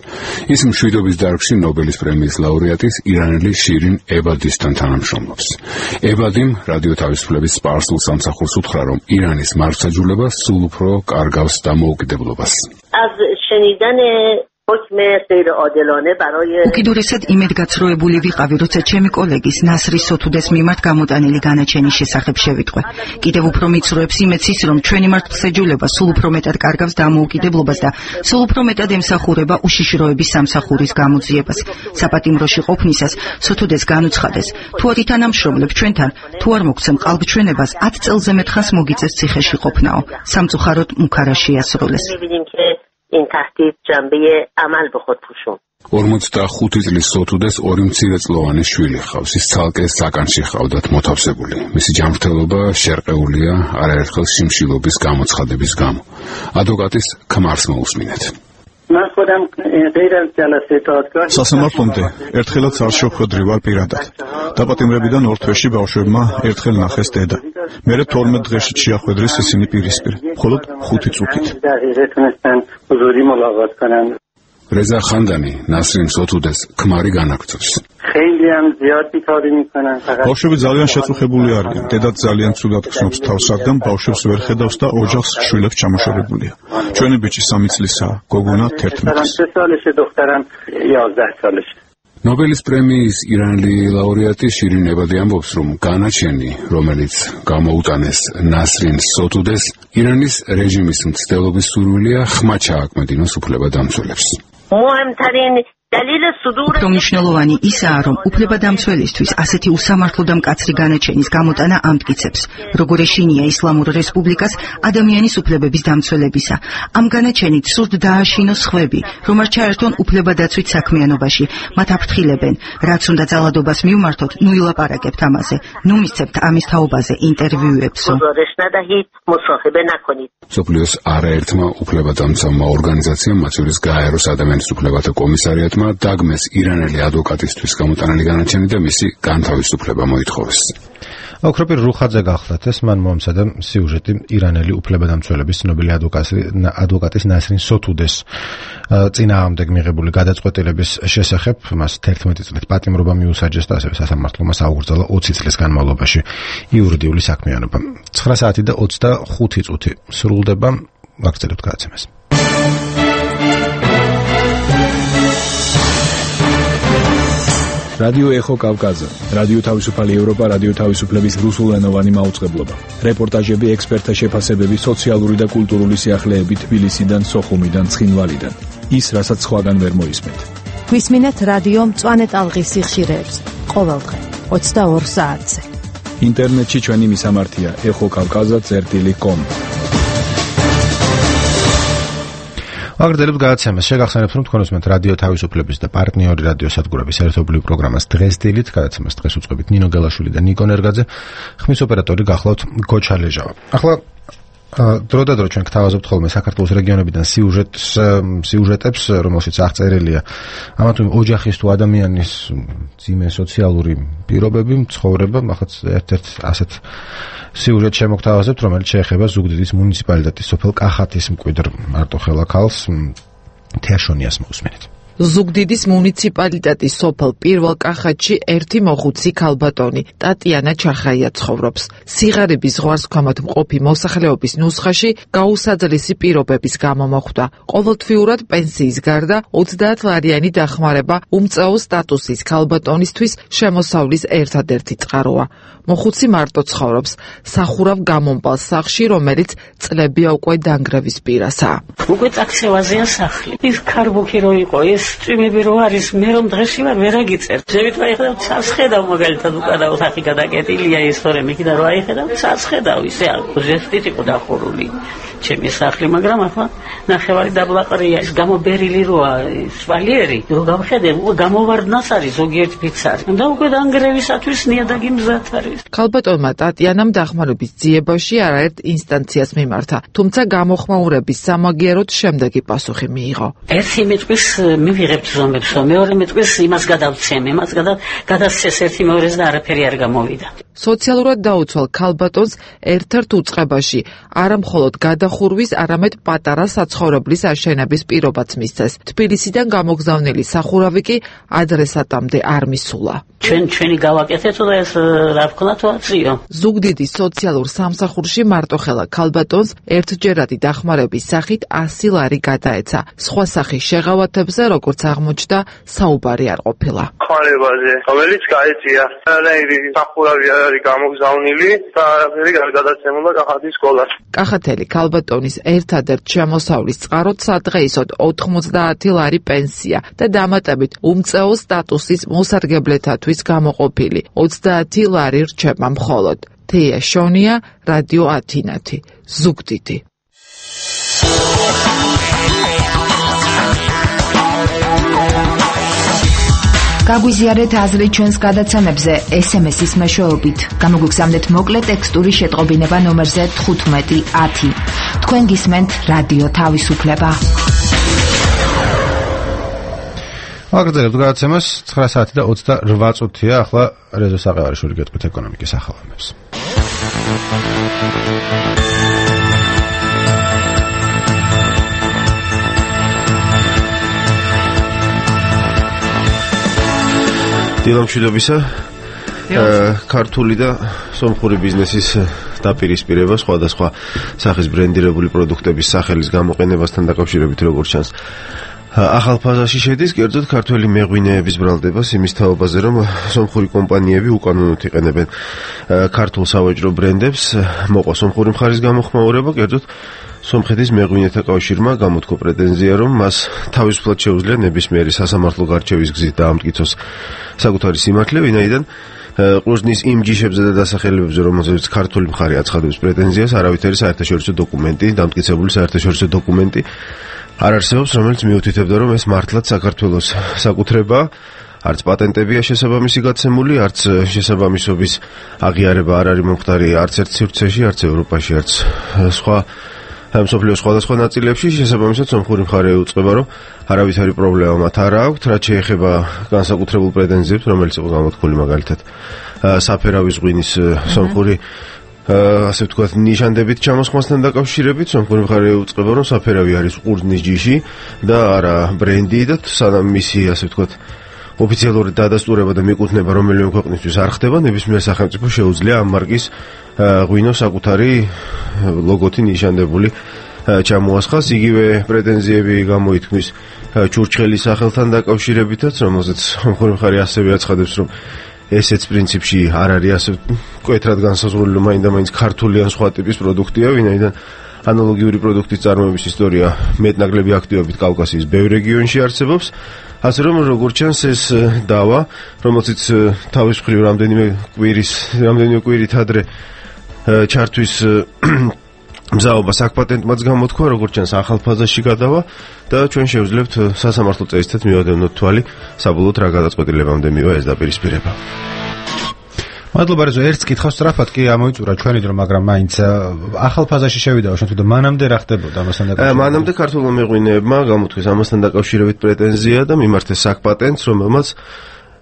ის მშვიდობის დარგში ნობელის პრემიის ლაურეატის ირანელი შირინ ებადისთან თანამშრომლობს. ებადიმ რადიო თავისუფლების სპარსულ სამსახურს უთხრა, რომ ირანის მართლმსაჯულება სულ უფრო კარგავს დამოუკიდებლობას. از شنیدن حکم غیر عادلانه برای უკიდურესად იმედგაცრუებული ვიყავი, როცა ჩემი კოლეგის ნასრი სოთუდეს მიმართ გამოტანილი განაჩენის შესახებ შევიტყვე. კიდევ უფრო მიცრუებს იმეც ის, რომ ჩვენი მართლმსაჯულება სულ უფრო მეტად კარგავს დამოუკიდებლობას და სულ უფრო მეტად ემსახურება უშიშროების სამსახურის გამოძიებას. საპატიმროში ყოფნისას სოთუდეს განუცხადეს, თუ არ ითანამშრომლებ ჩვენთან, თუ არ მოგცემ ყალბჩვენებას, 10 წელზე მეტ ხანს მოგიწევს ციხეში ყოფნაო. სამწუხაროდ მუქარა შეასრულეს. این تهدید جنبه عمل به خود پوشوند. 45 წლის სოთუდეს ორი მცირეწლოვანი შვილი ჰყავს. ის ცალკე საკანში ჰყავდათ მოთავსებული. მისი ჯანმრთელობა შერყეულია არაერთხელ შიმშილობის გამოცხადების გამო. ადვოკატის ქმარს მოусმინეთ. من خودم غیر از جلسه دادگاه სასამართლომდე ერთხელაც არ შევხვედრი ვარ პირადად. დაპატიმრებიდან ორ თვეში ბავშვებმა ერთხელ ნახეს დედა. მერე 12 დღეში შეახვედრეს ისინი პირისპირ. მხოლოდ 5 წუთით. რეზა ხანდანი ნასრინ სოთუდეს ქმარი განაგრძობს. ბავშვები ძალიან შეწუხებული არიან. დედაც ძალიან ცუდად ხსნობს თავს, რადგან ბავშვებს ვერ ხედავს და ოჯახს შვილებს ჩამოშორებულია. ჩვენი ბიჭი 3 წლისაა, გოგონა 11. ნობელის პრემიის ირანელი ლაურეატი შირინ ებადი ამბობს, რომ განაჩენი, რომელიც გამოუტანეს ნასრინ სოთუდეს, ირანის რეჟიმის მცდელობის სურვილია ხმა ჩააკმედინოს უფლებადამცველებს. مهمترین უფრო მნიშვნელოვანი ისაა, რომ უფლებადამცველისთვის ასეთი უსამართლო და მკაცრი განაჩენის გამოტანა ამტკიცებს, როგორ ეშინია ისლამურ რესპუბლიკას ადამიანის უფლებების დამცველებისა. ამ განაჩენით სურთ დააშინოს ხვები, რომ არ ჩაერთონ უფლებადაცვით საქმიანობაში, მათ აფრთხილებენ, რაც უნდა ძალადობას მივმართოთ, ნუ ილაპარაკებთ ამაზე, ნუ მისცემთ ამის თაობაზე ინტერვიუებსო. სოფლიოს არაერთმა უფლებადამცავმა ორგანიზაციამ, მათ შორის გაეროს ადამიანის უფლებათა კომისარიატმა დაგმეს ირანელი ადვოკატისთვის გამოტანილი განაჩენი და მისი განთავისუფლება მოითხოვეს. ოქროპირ რუხაძე გახლდათ ეს მან მომცადა სიუჟეტი ირანელი უფლებადამცველების ცნობილი ადვოკატის ნასრინ სოთუდეს წინააღმდეგ მიღებული გადაწყვეტილების შესახებ მას 11 წლით პატიმრობა მიუსაჯეს და ასევე სასამართლომ აუგრძელა 20 წლის განმავლობაში იურიდიული საქმიანობა. 9 საათი და 25 წუთი სრულდება. ვაგრძელებთ გადაცემას. რადიო ეხო კავკაზე, რადიო თავისუფალი ევროპა, რადიო თავისუფლების რუსულენოვანი მაუწყებლობა. რეპორტაჟები, ექსპერტთა შეფასებები, სოციალური და კულტურული სიახლეები თბილისიდან, სოხუმიდან, ცხინვალიდან. ის, რასაც სხვაგან ვერ მოისმენთ. გვისმინეთ რადიო მწვანე ტალღის სიხშირეებს ყოველდღე 22 საათზე. ინტერნეტში ჩვენი მისამართია ეხოკავკაზა.com. აგრძელებთ გადაცემას. შეგახსენებთ, რომ თქვენ უსმენთ რადიო თავისუფლების და პარტნიორი რადიო სადგურების ერთობლივ პროგრამას დღეს დილით. გადაცემას დღეს უწყებით ნინო გელაშვილი და ნიკო ნერგაძე. ხმის ოპერატორი გახლავთ გოჩა ლეჟავა. ახლა დროდადრო ჩვენ გთავაზობთ ხოლმე საქართველოს რეგიონებიდან სიუჟეტებს, რომელშიც აღწერილია ამა თუ ოჯახის თუ ადამიანის ძიმე სოციალური პირობები, ცხოვრება. ახაც ერთ-ერთ ასეთ სიუჟეტს შემოგთავაზებთ, რომელიც შეეხება ზუგდიდის მუნიციპალიტეტის სოფელ კახათის მკვიდრ მარტოხელა ქალს თეაშონიას მოусმენთ. ზუგდიდის მუნიციპალიტეტის სოფელ პირველ კახათში ერთი მოხუცი ქალბატონი ტატიანა ჩახაია ცხოვრობს. სიღარიბის ზღვარსქვამად მყოფი მოსახლეობის ნუსხაში გაუსაძლისი პირობების გამო მოხვდა. ყოველთვიურად პენსიის გარდა 30 ლარიანი დახმარება უმწაო სტატუსის ქალბატონისთვის შემოსავლის ერთადერთი წყაროა. მოხუცი მარტო ცხოვრობს სახურავ გამომპალ სახლში, რომელიც წლებია უკვე დანგრევის პირასაა. უკვე წაქცევაზეა სახლი. ის ქარბუქი რო იყო, ეს წვიმები რო არის, მე რომ დღეში ვარ ვერ აგიწერ. ზევით ვაიხედავ, ცას ხედავ მაგალითად უკანა ოთახი გადაკეტილია ის თორემ იქიდან რო აიხედავ, ცას ხედავ, ისე ჟესტით იყო დახურული ჩემი სახლი, მაგრამ ახლა ნახევარი დაბლაყრია, ის გამობერილი როა, სვალიერი, რო გავხედე, გამოვარდნას არის ზოგიერთ ფიცარი. და უკვე დანგრევისათვის ნიადაგი მზად არის. ქალბატონმა ტატიანამ დახმარების ძიებაში არაერთ ინსტანციას მიმართა, თუმცა გამოხმაურების სამაგიეროდ შემდეგი პასუხი მიიღო. ერთი მეტყვის მივიღებთ ზომებს, მეორე მეტყვის იმას გადავცემ, იმას გადასცეს ერთი მეორეს და არაფერი არ გამოვიდა. სოციალურად დაუცვალ ქალბატონს ერთ-ერთ უწყებაში არა მხოლოდ გადახურვის, არამედ პატარა საცხოვრებლის აშენების პირობაც მისცეს. თბილისიდან გამოგზავნილი სახურავი კი ადრესატამდე არ მისულა. ჩვენი გავაკეთეთ და ეს რა ვქნა თვაწიო. ზუგდიდის სოციალურ სამსახურში მარტოხელა ქალბატონს ერთჯერადი დახმარების სახით 100 ლარი გადაეცა. სხვა სახის შეღავათებზე, როგორც აღმოჩნდა, საუბარი არ ყოფილა. ხმარებაზე, რომელიც გაეწია, რაირი სახურავი არის გამოგზავნილი და არაფერი არ გადაცემულა კახათის სკოლას. კახათელი ქალბატონის ერთადერთ შემოსავლის წყაროდ სადღეისოდ 90 ლარი პენსია და დამატებით უმწეო სტატუსის მოსარგებლეთათვის გამოყოფილი 30 ლარი რჩება მხოლოდ. თეაშონია, რადიო ათინათი, ზუგდიდი. გაგვიზიარეთ აზრი ჩვენს გადაცემებზე SMS-ის მეშვეობით. გამოგვიგზავნეთ მოკლე ტექსტური შეტყობინება ნომერზე 1510. თქვენ გისმენთ რადიო თავისუფლება. აგრძელებთ გადაცემას 9 საათი და 28 წუთია. ახლა რეზო საყევარიშვილი გეტყვით ეკონომიკის ახალამებს. დილამშვიდობისა. ქართული და სომხური ბიზნესის დაპირისპირება სხვადასხვა სახის ბრენდირებული პროდუქტების სახელის გამოყენებასთან დაკავშირებით როგორც ჩანს ახალ ფაზაში შედის, კერძოდ ქართველი მეღვინეების ბრალდებას იმის თაობაზე, რომ სომხური კომპანიები უკანონოდ იყენებენ ქართულ სავაჭრო ბრენდებს, მოყვა სომხური მხარის გამოხმაურება, კერძოდ სომხეთის მეღვინეთა კავშირმა გამოთქვა პრეტენზია, რომ მას თავისუფლად შეუძლია ნებისმიერი სასამართლო გარჩევის გზით დაამტკიცოს საკუთარი სიმართლე, ვინაიდან ყურძნის იმ ჯიშებზე და დასახელებებზე, რომელზეც ქართული მხარე აცხადებს პრეტენზიას, არავითარი საერთაშორისო დოკუმენტი, დამტკიცებული საერთაშორისო დოკუმენტი არ არსებობს, რომელიც მიუთითებდა, რომ ეს მართლაც საქართველოს საკუთრებაა. არც პატენტებია შესაბამისი გაცემული, არც შესაბამისობის აღიარება არ არის მომხდარი არც ერთ სივრცეში, არც ევროპაში, არც სხვა მსოფლიოს სხვადასხვა ნაწილებში. შესაბამისად სომხური მხარე უწყება, რომ არავითარი პრობლემა მათ არ აქვთ, რაც შეეხება განსაკუთრებულ პრეტენზიებს, რომელიც იყო გამოთქმული მაგალითად საფერავის ღვინის სომხური ასე ვთქვათ ნიშანდებით ჩამოსხმასთან დაკავშირებით. სომხური მხარე უწყება, რომ საფერავი არის ყურძნის ჯიში და არა ბრენდი და სანამ მისი ასე ვთქვათ ოფიციალური დადასტურება და მიკუთვნება რომელიმე ქვეყნისთვის არ ხდება, ნებისმიერ სახელმწიფო შეუძლია ამ მარკის ღვინო საკუთარი ლოგოთი ნიშანდებული ჩამოასხას. იგივე პრეტენზიები გამოითქმის ჩურჩხელის სახელთან დაკავშირებითაც, რომელზეც სომხური მხარე ასევე აცხადებს, რომ ესეც პრინციპში არ არის ასე მკვეთრად განსაზღვრული, რომ მაინდა-მაინც ქართული ან სხვა ტიპის პროდუქტია, ვინაიდან ანალოგიური პროდუქტის წარმოების ისტორია მეტნაკლები აქტივობით კავკასიის ბევრ რეგიონში არსებობს. ასე რომ როგორც ჩანს ეს დავა, რომელზეც თავის მხრივ რამდენიმე კვირით ადრე ჩართვის მზაობა საკპატენტმაც გამოთქვა, როგორც ჩანს ახალ ფაზაში გადავა და ჩვენ შევძლებთ სასამართლო წესითაც მივადევნოთ თვალი, საბოლოოდ რა გადაწყვეტილებამდე მივა ეს დაპირისპირება. მადლობა რეზო, ერთ კითხავს სწრაფად კი ამოიწურა ჩვენი დრო, მაგრამ მაინც ახალ ფაზაში შევიდაო შენ თუნდაც მანამდე რა ხდებოდა ამასთან დაკავშირებით? მანამდე ქართულმა მეღვინეებმა გამოთქვეს ამასთან დაკავშირებით პრეტენზია და მიმართეს საკპატენტს, რომელმაც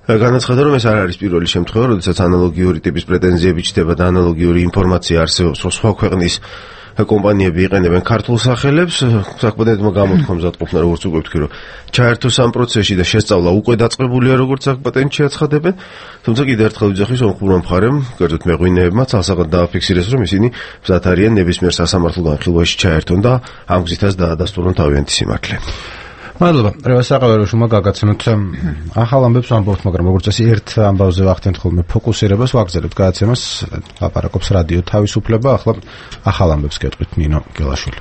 განაცხადა, რომ ეს არ არის პირველი შემთხვევა, როდესაც ანალოგიური ტიპის პრეტენზიები ჩნდება და ანალოგიური ინფორმაცია არსებობს, რომ სხვა ქვეყნის კომპანიები იყენებენ ქართულ სახელებს. საკპატენტმა გამოთქვა მზადყოფნა, როგორც უკვე ვთქვი, რომ ჩაერთოს ამ პროცესში და შესწავლა უკვე დაწყებულია, როგორც საკპატენტში აცხადებენ. თუმცა კიდევ ერთხელ ვიძახი სომხურმა მხარემ, კერძოდ მეღვინეებმა ცალსაღად დააფიქსირეს, რომ ისინი მზად არიან ნებისმიერ სასამართლო განხილვაში ჩაერთონ და ამ გზითაც დაადასტურონ თავიანთი სიმართლე. მადლობა. რევასაყევრო შუმა გაგაცნოთ ახალ ამბებს ვამბობთ, მაგრამ როგორც წესი ერთ ამბავზე ვახდენთ ხოლმე ფოკუსირებას, ვაგზავნებთ გადაცემას, ლაპარაკობს რადიო თავისუფლება. ახლა ახალ ამბებს გეტყვით ნინო გელაშვილი.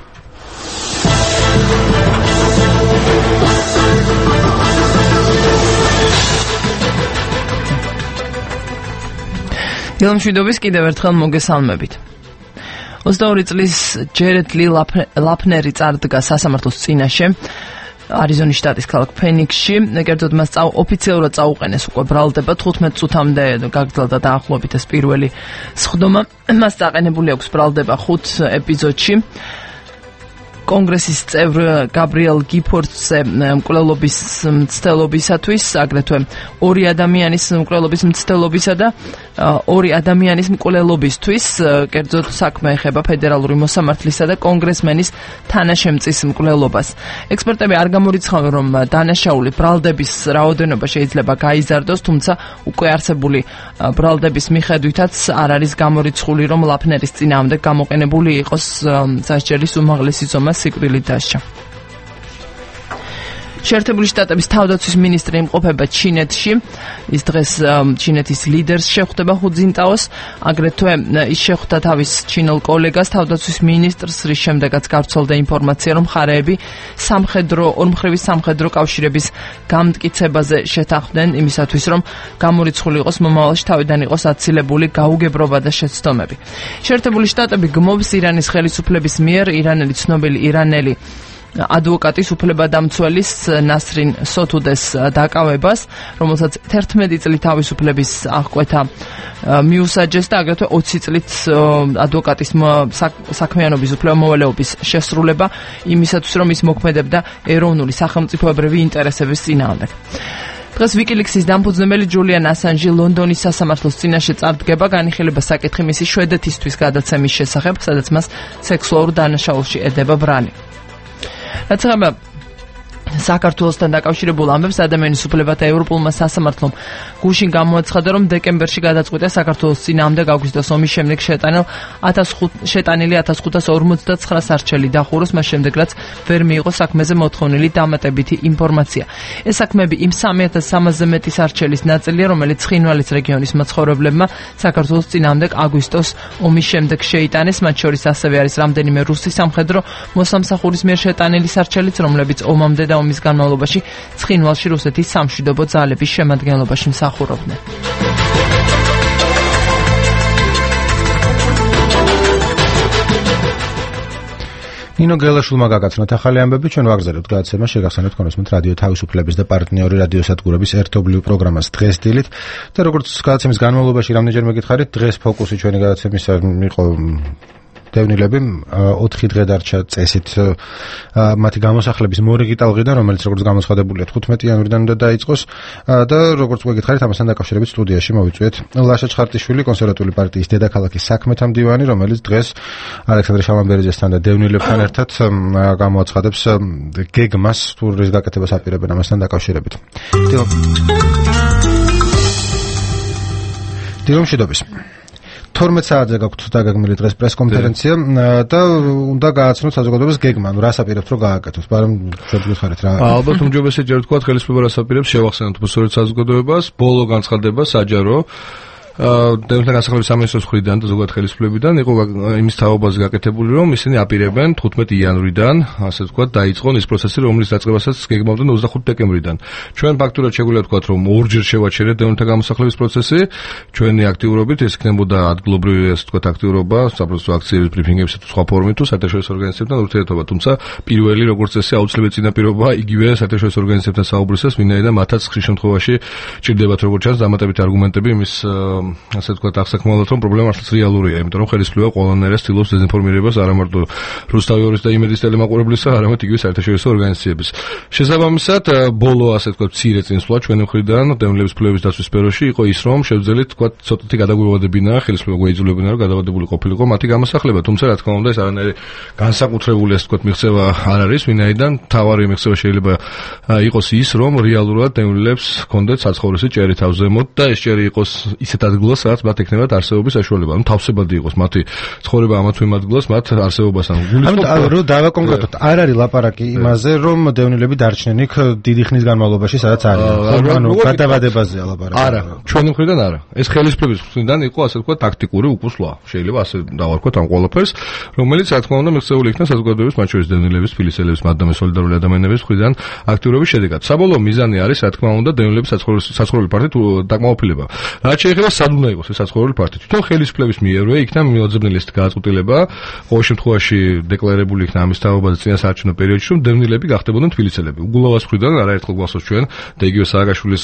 ილამშვიდობის კიდევ ერთხელ მოგესალმებით. 22 წლის ჯერედ ლი ლაფნერი წარდგა სასამართლოს წინაშე არიზონის შტატის ქალაქ ფენიქსში. კერძოდ მას ოფიციალურად წაუყენეს უკვე ბრალდება 15 წუთამდე გაგრძელდა დაახლოებით ეს პირველი სხდომა. მას წაყენებული აქვს ბრალდება 5 ეპიზოდში. კონგრესის წევრ გაბრიელ გიფორდზე მკვლელობის მცდელობისათვის, აგრეთვე 2 ადამიანის მკვლელობის მცდელობისა და 2 ადამიანის მკვლელობისთვის, კერძოდ საქმე ეხება ფედერალური მოსამართლისა და კონგრესმენის თანაშემწის მკვლელობას. ექსპერტები არ გამორიცხავენ, რომ დანაშაული ბრალდების რაოდენობა შეიძლება გაიზარდოს, თუმცა უკვე არსებული ბრალდების მიხედვითაც არ არის გამორიცხული, რომ ლაფნერის წინააღმდეგ გამოყენებული იყოს სასჯელის უმაღლესი ზომა სიკვდილით დასჯა. შეერთებული შტატების თავდაცვის მინისტრი იმყოფება ჩინეთში. ის დღეს ჩინეთის ლიდერს შეხვდება ხუ ძინტაოს, აგრეთვე ის შეხვდა თავის ჩინელ კოლეგას, თავდაცვის მინისტრს, რის შემდეგაც გავრცელდა ინფორმაცია, რომ მხარეები ორმხრივი სამხედრო კავშირების გამტკიცებაზე შეთანხმდნენ იმისათვის, რომ გამორიცხული იყოს მომავალში თავიდან იყოს აცილებული გაუგებრობა და შეცდომები. შეერთებული შტატები გმობს ირანის ხელისუფლების მიერ ირანელი ცნობილი ირანელი ადვოკატის უფლებადამცველის ნასრინ სოთუდეს დაკავებას, რომელსაც 11 წლით თავისუფლების აღკვეთა მიუსაჯეს და აგრეთვე 20 წლით ადვოკატის საქმიანობის უფლებამოვალეობის შესრულება იმისათვის, რომ ის მოქმედებდა ეროვნული სახელმწიფოებრივი ინტერესების წინააღმდეგ. დღეს ვიკილიქსის დამფუძნებელი ჯულიან ასანჟი ლონდონის სასამართლოს წინაშე წარდგება, განიხილება საკითხი მისი შვედეთისთვის გადაცემის შესახებ, სადაც მას სექსუალურ დანაშაულში ედება ბრალი. რაც ეხება საქართველოსთან დაკავშირებულ ამბებს ადამიანის უფლებათა ევროპულმა სასამართლომ გუშინ გამოაცხადა, რომ დეკემბერში გადაწყვიტა საქართველოს წინააღმდეგ აგვისტოს ომის შემდეგ შეტანილი 1559 სარჩელი დახუროს, მას შემდეგ რაც ვერ მიიღო საქმეზე მოთხოვნილი დამატებითი ინფორმაცია. ეს საქმეები იმ 3300-ზე მეტი სარჩელის ნაწილია, რომელიც ცხინვალის რეგიონის მაცხოვრებლებმა საქართველოს წინააღმდეგ აგვისტოს ომის შემდეგ შეიტანეს, მათ შორის ასევე არის რამდენიმე რუსი სამხედრო მოსამსახურის მიერ შეტანილი სარჩელიც, რომლებიც ომამდე და ომის განმავლობაში ცხინვალში რუსეთის სამშვიდობო ძალების შემადგენლობაში მსახურობდნენ. ნინო გელაშვილმა გაგაცნოთ ახალი ამბები, ჩვენ ვაგზავნებთ გადაცემა, შეგახსენებთ კონსმეთ რადიო თავისუფლების და პარტნიორი რადიოსადგურების ერთობლივ პროგრამას დღეს დილით და როგორც გადაცემის განმავლობაში რამდენჯერ მეკითხარით, დღეს ფოკუსი ჩვენი გადაცემისა იყო დევნილები 4 დღე დარჩა წესით მათი გამოსახლების მორიგი ტალღიდან, რომელიც როგორც გამოცხადებულია 15 იანვრიდან უნდა დაიწყოს და როგორც მეკითხარით, ამასთან დაკავშირებით სტუდიაში მოვიწვიეთ ლაშა ჩხარტიშვილი, კონსერვატული პარტიის დედაქალაქის საქმეთა მდივანი, რომელიც დღეს ალექსანდრე შალამბერიძესთან და დევნილებთან ერთად გამოაცხადებს გეგმას, თუ რის გაკეთებას აპირებენ ამასთან დაკავშირებით. დილომშვიდობის. 12 საათზე გაქვთ დაგეგმილი დღეს პრესკონფერენცია და უნდა გააცნოთ საზოგადოებას გეგმა, რას აპირებთ რომ გააკეთოს, მაგრამ ჩვენ გითხარით რა. ალბათ უმჯობესია თქვა ხელისუფლება რას აპირებს, შევახსენოთ უბრალოდ საზოგადოებას, ბოლო განცხადება საჯარო დევნილთა განსახლების სამინისტროს მხრიდან და ზოგადად ხელისუფლებიდან იყო იმის თაობაზე გაკეთებული, რომ ისინი აპირებენ 15 იანვრიდან, ასე ვთქვათ, დაიწყონ ის პროცესი, რომლის დაწყებასაც გეგმავდნენ 25 დეკემბრიდან. ჩვენ ფაქტურად შეგვიძლია ვთქვათ, რომ ორჯერ შევაჩერეთ დევნილთა გამოსახლების პროცესი, ჩვენი აქტიურობით ეს იქნებოდა ადგილობრივი, ასე ვთქვათ, აქტიურობა, საპროცესო აქციების, ბრიფინგებისა თუ სხვა ფორუმით თუ საერთაშორისო ორგანიზაციებთან ურთიერთობა, თუმცა პირველი, როგორც წესი, აუცილებელი წინაპირობა იგივე საერთაშორისო ორგანიზაციებთან საუბრისას, ვინაიდან მათაც ხშირ შემთხვევაში ჭირდებათ როგორც ჩანს დამატებითი არგუმენტები იმის ასე ვთქვათ, აღსაქმნელად, რომ პრობლემა მართლაც რეალურია, იმიტომ რომ ხელისუფლება ყველანაირად ცდილობს დეზინფორმირებას არა მარტო რუსთავი ორის და იმედის ტელემაყურებლისა, არამედ იგივე საერთაშორისო ორგანიზაციების. შესაბამისად, ბოლო ასე ვთქვათ, მცირე წინსვლა ჩვენი მხრიდან დევნილების უფლებების დაცვის სფეროში იყო ის, რომ შევძელით ვთქვათ, ცოტათი გადაგვევადებინა, ხელისუფლება გვეიძულებინა, რომ გადავადებული ყოფილიყო მათი გამოსახლება, თუმცა რა თქმა უნდა, ეს არანაირი განსაკუთრებული ასე ვთქვათ, მიღწევა არ არის, ვინაიდან თავარი მიღწევა შეიძლება იყოს ის, რომ რეალურად დევნილებს ჰქონდეთ საცხოვრისი ჭერი თავზემოთ და ეს ჭერი იყოს ისეთ ადგილას, სადაც მათ ექნებათ არსებობის საშუალება. ანუ თავსებადი იყოს მათი ცხოვრება ამა თუ იმ ადგილას, მათ არსებობასთან გულისხმობ. ანუ დავაკონკრეტოთ, არ არის ლაპარაკი იმაზე, რომ დევნილები დარჩნენ იქ დიდი ხნის განმავლობაში, სადაც არიან. ანუ გადავადებაზეა ლაპარაკი. არა, ჩვენი მხრიდან არა. ეს ხელისუფლების მხრიდან იყო, ასე ვთქვათ, ტაქტიკური უკუსვლა. შეიძლება ასე დავარქვათ ამ ყველაფერს, რომელიც რა თქმა უნდა მიღწეული იქნა საზოგადოების, მათ შორის დევნილების, თბილისელების, მათდამე სოლიდარული ადამიანების მხრიდან აქტიურობის შედეგად. საბოლოო მიზანი არის, რა თქმა უნდა, დევნილების საცხოვრებელი პარტიით დაკმაყოფილება. რაც შეეხება სად უნდა იყოს ეს საცხოვრებელი პარტია. თვითონ ხელისუფლების მიერვე იქნა მიუძებნელი ეს გადაწყვეტილება, ყოველ შემთხვევაში დეკლარირებული იქნა ამის თაობაზე წინასაარჩევნო პერიოდში, რომ დევნილები გახდებოდნენ თბილისელები. უგულოვას მხრიდან არაერთხელ გვახსოვს ჩვენ და იგივე სააგაშვილის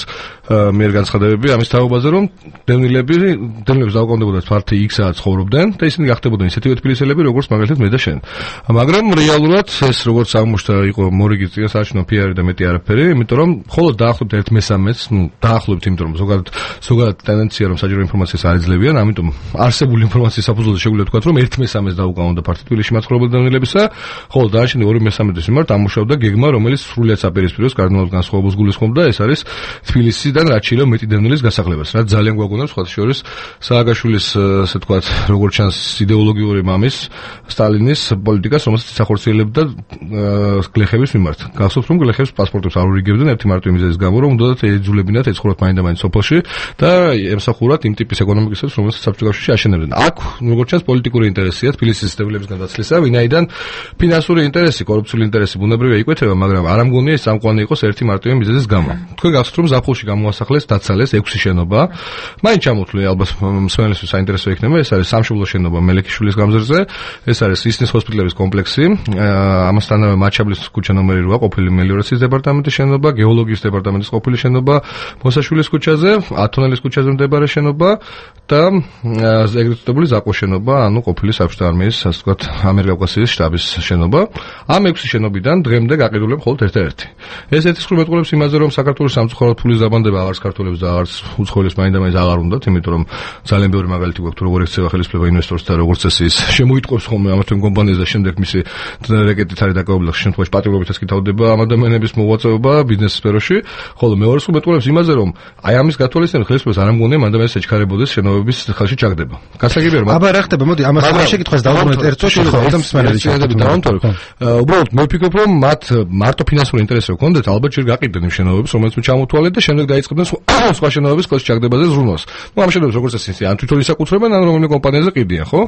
მიერ განცხადებები ამის თაობაზე, რომ დევნილებს დაუკავდებოდათ პარტია X-ად ცხოვრობდნენ და ისინი გახდებოდნენ ისეთივე თბილისელები, როგორც მაგალითად მე და შენ. მაგრამ რეალურად ეს როგორც აღმოჩნდა იყო მორიგი წინასაარჩევნო PR და მეტი არაფერი, იმიტომ რომ მხოლოდ დაახლოებით 1/3-ს, დაახლოებით, იმიტომ რომ ზოგადად ტენდენცია რომ საჯარო ინფორმაციას არ ეძლებიან, ამიტომ არსებული ინფორმაციის საფუძველზე შეგვიძლია ვთქვათ, რომ 1/3-ს დაუკავონდა პარტია თბილისში მაცხოვრებელ დევნილებისა, ხოლო დანარჩენი 2/3-ის მიმართ ამუშავდა გეგმა, რომელიც სრულიად საპირისპიროს კარდინალურ განსხვავებულს გულისხმობდა, ეს არის თბილისიდან რაც შეიძლება მეტი დევნილის გასახლებას, რაც ძალიან გვაგონებს სხვა შორის სააგაშვილის, ასე ვთქვათ, როგორც ჩანს იდეოლოგიური მამის სტალინის პოლიტიკას, რომელსაც ეხორციელებდა გლეხების მიმართ. გახსოვთ, რომ გლეხებს პასპორტებს არ ურიგებდნენ ერთი მარტივი მიზეზის გამო, რომ უნდათ ეძულებინათ ეცხოვრათ მაინდა-მაინც სოფელში და ემსახურათ იმ ტიპის ეკონომიკასაც, რომელსაც საბჭოთა კავშირში აშენებდნენ. აქ, როგორც ჩანს, პოლიტიკური ინტერესია თბილისის დევნილებისგან დაცლისა, ვინაიდან ფინანსური ინტერესი, კორუფციული ინტერესი ბუნებრივია იკვეთება, მაგრამ არ ამგონია ეს წამყვანი იყოს ერთი მარტივი მიზეზის გამო. თქვენ გახსოვთ, რომ ზაფხულში გამოასახლეს, დაცალეს 6 შენობა. მაინც ჩამოთვლი, ალბათ მსმენელისთვის საინტერესო იქნება, ეს არის სამშობლო შენობა მელექიშვილის გამზირზე, ეს არის ისნის ჰოსპიტალების კომპლექსი, ამასთანავე მაჩაბლის ქუჩა ნომერი 8 ყოფილი მელიორაციის დეპარტამენტის შენობა, გეოლოგიის დეპარტამენტის ყოფილი შენობა, მოსაშვილის ქუჩაზე, ათონელის ქუჩაზე მდებარე შენობა შენობა და ეგრეთ წოდებული ზაკოს შენობა, ანუ ყოფილი საბჭოთა არმიის, ასე ვთქვათ, ამიერკავკასიის შტაბის შენობა. ამ 6 შენობიდან დღემდე გაყიდულია მხოლოდ ერთ-ერთი. ეს ეთისყრუ მეტყველებს იმაზე, რომ საქართველოს სამწუხაროდ ფულის დაბანდება აღარც ქართველებს და აღარც უცხოელებს მაინდა-მაინც აღარ უნდათ, იმიტომ რომ ძალიან ბევრი მაგალითი გვაქვს, თუ როგორ ექცევა ხელისუფლება ინვესტორს და როგორც წესი შემოიტყობს ხოლმე ამ თემ კომპანიას და შემდეგ მისი რეკეტით არის დაკავებული, შემთხვევაში პატიმრობითაც კი თავდება ამ ადამიანების მოღვაწეობა ბიზნეს სფეროში, ხოლო მეორე სულ მეტყველებს იმაზე, რომ აი ამის გათვალისწინებით ხელისუფლებას არ ამგონია მანდ-ამას ეჩქარებოდეს შენობების ხელში ჩაგდება. გასაგებია რომ აბა რა ხდება, მოდი ამას შეკითხვას დავუბრუნდეთ ერთ წუთში ხოლმე და მსმენელი ჩაგდები დავამთავრებ. უბრალოდ მე ვფიქრობ, რომ მათ მარტო ფინანსური ინტერესი ჰქონდათ, ალბათ ჯერ გაყიდნენ იმ შენობებს, რომელიც ჩამოთვალეთ და შემდეგ დაიწყებდნენ სხვა შენობების ხელში ჩაგდებაზე ზრუნვას. ნუ ამ შენობებს როგორც წესი ან თვითონ ისაკუთრებენ, ან რომელიმე კომპანიაზე ყიდიან, ხო?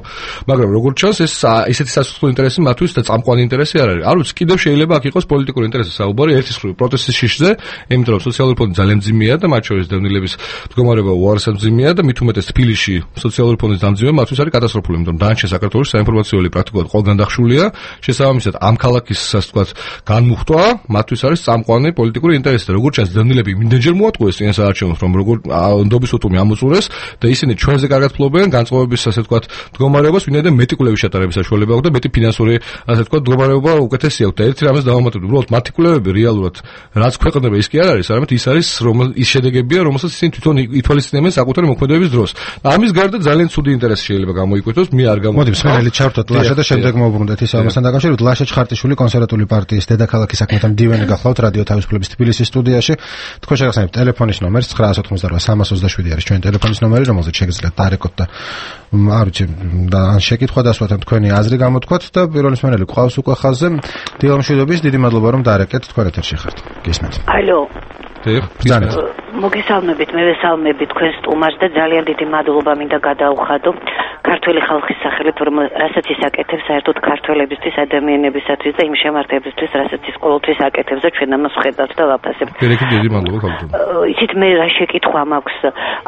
მაგრამ როგორც ჩანს, ეს ისეთი სასუსტო ინტერესი მათთვის და წამყვანი ინტერესი არ არის. არ ვიცი, კიდევ შეიძლება აქ იყოს პოლიტიკური ინტერესი საუბარი ერთის მხრივ პროტესტის შიშზე, იმიტომ რომ სოციალური ფონდი ძალიან მძიმეა და მათ შორის დევნილების მდგომარეობა უარესად მძიმეა და მით უმეტეს თბილისში სოციალური ფონდის დამძიმება მათთვის არის კატასტროფული, იმიტომ რომ დანარჩენ საქართველოს საინფორმაციო პრაქტიკულად ყველგან დახშულია. შესაბამისად, ამ ქალაქის ასე ვთქვათ, განმუხტვა მათთვის არის წამყვანი პოლიტიკური ინტერესი და როგორც ჩანს დევნილები იმდენჯერ მოატყუეს წინასაარჩევნოს, რომ როგორ ნდობის უტუმი ამოწურეს და ისინი ჩვენზე კარგად ფლობენ განწყობების ასე ვთქვათ მდგომარეობას, ვინაიდან მეტი კვლევის ჩატარების საშუალება აქვს და მეტი ფინანსური ასე ვთქვათ მდგომარეობა უკეთესი აქვს და ერთი რამეს დავამატებთ, უბრალოდ მათი კვლევები რეალურად რაც ქვეყნდება ის კი არ არის, არამედ ის არის ის შედეგებია, რომელსაც ისინი თვითონ ითვალისწინებენ საკუთარი მოქმედების დროს. ამის გარდა ძალიან ცუდი ინტერესი შეიძლება გამოიკვეთოს, მე არ მოდი მსმენელი ჩავთოთ ლაშა და შემდეგ მოვუბრუნდეთ ის ამასთან დაკავშირებით. ლაშა ჩხარტიშვილი კონსერვატული პარტიის დედაქალაქის საქმეთა მდივანი გახლავთ რადიო თავისუფლების თბილისის სტუდიაში. თქვენ შეგახსენებთ ტელეფონის ნომერს 988 არის ჩვენი ტელეფონის ნომერი, რომელზეც შეგიძლიათ დარეკოთ და არ ვიცი და ან შეკითხვა დასვათ ან თქვენი აზრი გამოთქვათ და პირველი მსმენელი ყავს უკვე ხაზზე. დილამშვიდობის, დიდი მადლობა რომ დარეკეთ, თქვენ ეთერში ხართ. გისმენთ. ალო. ბრძანეთ. მოგესალმებით, მე ვესალმები თქვენ სტუმარს და ძალიან დიდი მადლობა მინდა გადაუხადო ქართველი ხალხის სახელით, რომ რასაც ის აკეთებს საერთოდ ქართველებისთვის, ადამიანებისათვის და იმ შემართებისთვის, რასაც ის ყოველთვის აკეთებს და ჩვენ ამას ვხედავთ და ვაფასებთ. დიდი მადლობა ქალბატონო. იცით მე რა შეკითხვა მაქვს,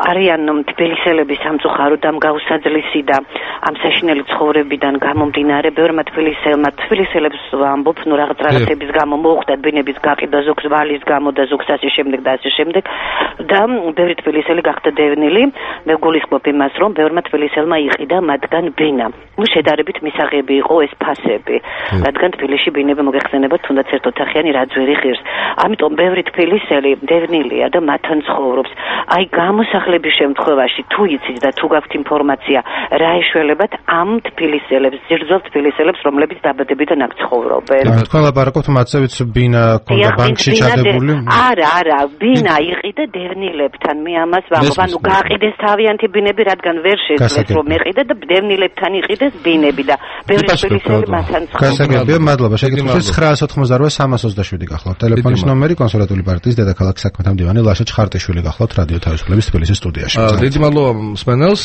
არიან თბილისელები სამწუხაროდ ამ გაუსაძლისი და ამ საშინელი ცხოვრებიდან გამომდინარე ბევრმა თბილისელებს ვამბობ, ნუ რაღაცების გამო მოუხდათ ბინების გაყიდვა, ზოგს ვალის გამო და ზოგს ასე შემდეგ და ასე შემდეგ და ბევრი თბილისელი გახდა დევნილი. მე გულისხმობ იმას, რომ ბევრმა თბილისელმა იყიდა მათგან ბინა. ნუ შედარებით მისაღები იყო ეს ფასები, რადგან თბილისში ბინები მოგეხსენებათ თუნდაც ერთ ოთახიანი რაც ვერ იღირს. ამიტომ ბევრი თბილისელი დევნილია და მათთან ცხოვრობს. აი გამოსახლების შემთხვევაში თუ იცით და თუ გაქვთ ინფორმაცია, რა ეშველებათ ამ თბილისელებს, ძირძველ თბილისელებს, რომლებიც დაბადებიდან აქ ცხოვრობენ. თქვენ ლაპარაკობთ მათსევიც ბინა ქონდა ბანკში ჩადებული? არა, ბინა იყიდა დევნილებთან. მე ამას ვამბობ, ანუ გააყიდეს თავიანთი ბინები, რადგან ვერ შეძლეს რომ ეყიდა და დევნილებთან იყიდეს ბინები და ბევრი თბილისელი მათთან ცხოვრობს. გასაგებია, მადლობა. შეკითხვის 988-327 გახლავთ. ტელეფონის ნომერი კონსერვატული პარტიის დედაქალაქის საქმეთა მდივანი ლაშა ჩხარტიშვილი გახლავთ რადიო თავისუფლების თბილისის სტუდიაში. დიდი მადლობა მსმენელს.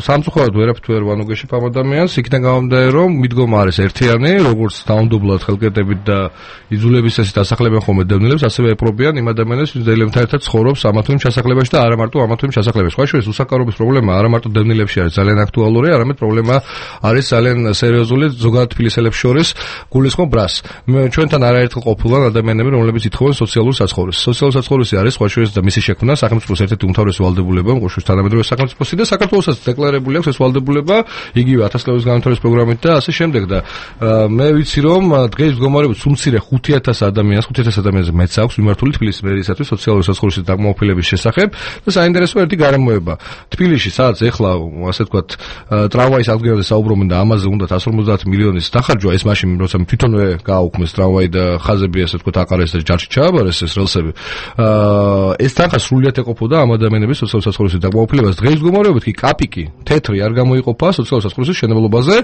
სამწუხაროდ ვერაფრით ვერ ვანუგეშებ ამ ადამიანს, იქიდან გამომდინარე რომ მიდგომა არის ერთიანი, როგორც დაუნდობლად ხელკეტებით და იძულების წესით ასახლებენ ხოლმე დევნილებს, ასევე ეპრობიან იმ ადამიანებს, ვინც ერთად ცხოვრობს ამა თუ იმ ჩასახლებაში და არა მარტო ამა თუ იმ ჩასახლებაში. სხვა შორის უსაკარობის პრობლემა არა მარტო დევნილებში არის ძალიან აქტუალური, არამედ პრობლემა არის ძალიან სერიოზული ზოგადად თბილისელებს შორის. გულისხმობ რას? ჩვენთან არაერთხელ ყოფილან ადამიანები, რომლებიც ითხოვენ სოციალურ საცხოვრებელს. სოციალური საცხოვრებელი არის სხვა შორის და მისი შექმნა სახელმწიფოს ერთ-ერთი უმთავრესი ვალდებულება, ყოველთვის თანამედროვე სახელმწიფოსი და საქართველოსაც დეკლარირებული აქვს ეს ვალდებულება, იგივე 1000 წლების განვითარების პროგრამით და ასე შემდეგ და მე ვიცი რომ დღეს მდგომარეობის უმცირე 5000 ადამიანზე მეც აქვს მიმართული თბილისის მერიისათვის სოციალური საცხოვრებლის დაკმაყოფილების შესახებ და საინტერესო ერთი გარემოება. თბილისში სადაც ეხლა ასე ვთქვათ ტრამვაის აღდგენაზე საუბრობენ და ამაზე უნდა 150 მილიონის დახარჯვა, ეს მაშინ როცა თვითონვე გააუქმეს ტრამვაი და ხაზები ასე ვთქვათ აყარეს და ჯარში ჩააბარეს ეს რელსები. ეს თანხა სრულიად ეყოფოდა ამ ადამიანების სოციალური საცხოვრებლის დაკმაყოფილებას. დღეს მდგომარეობით კი კაპიკი, თეთრი არ გამოიყოფა სოციალური საცხოვრებლის მშენებლობაზე.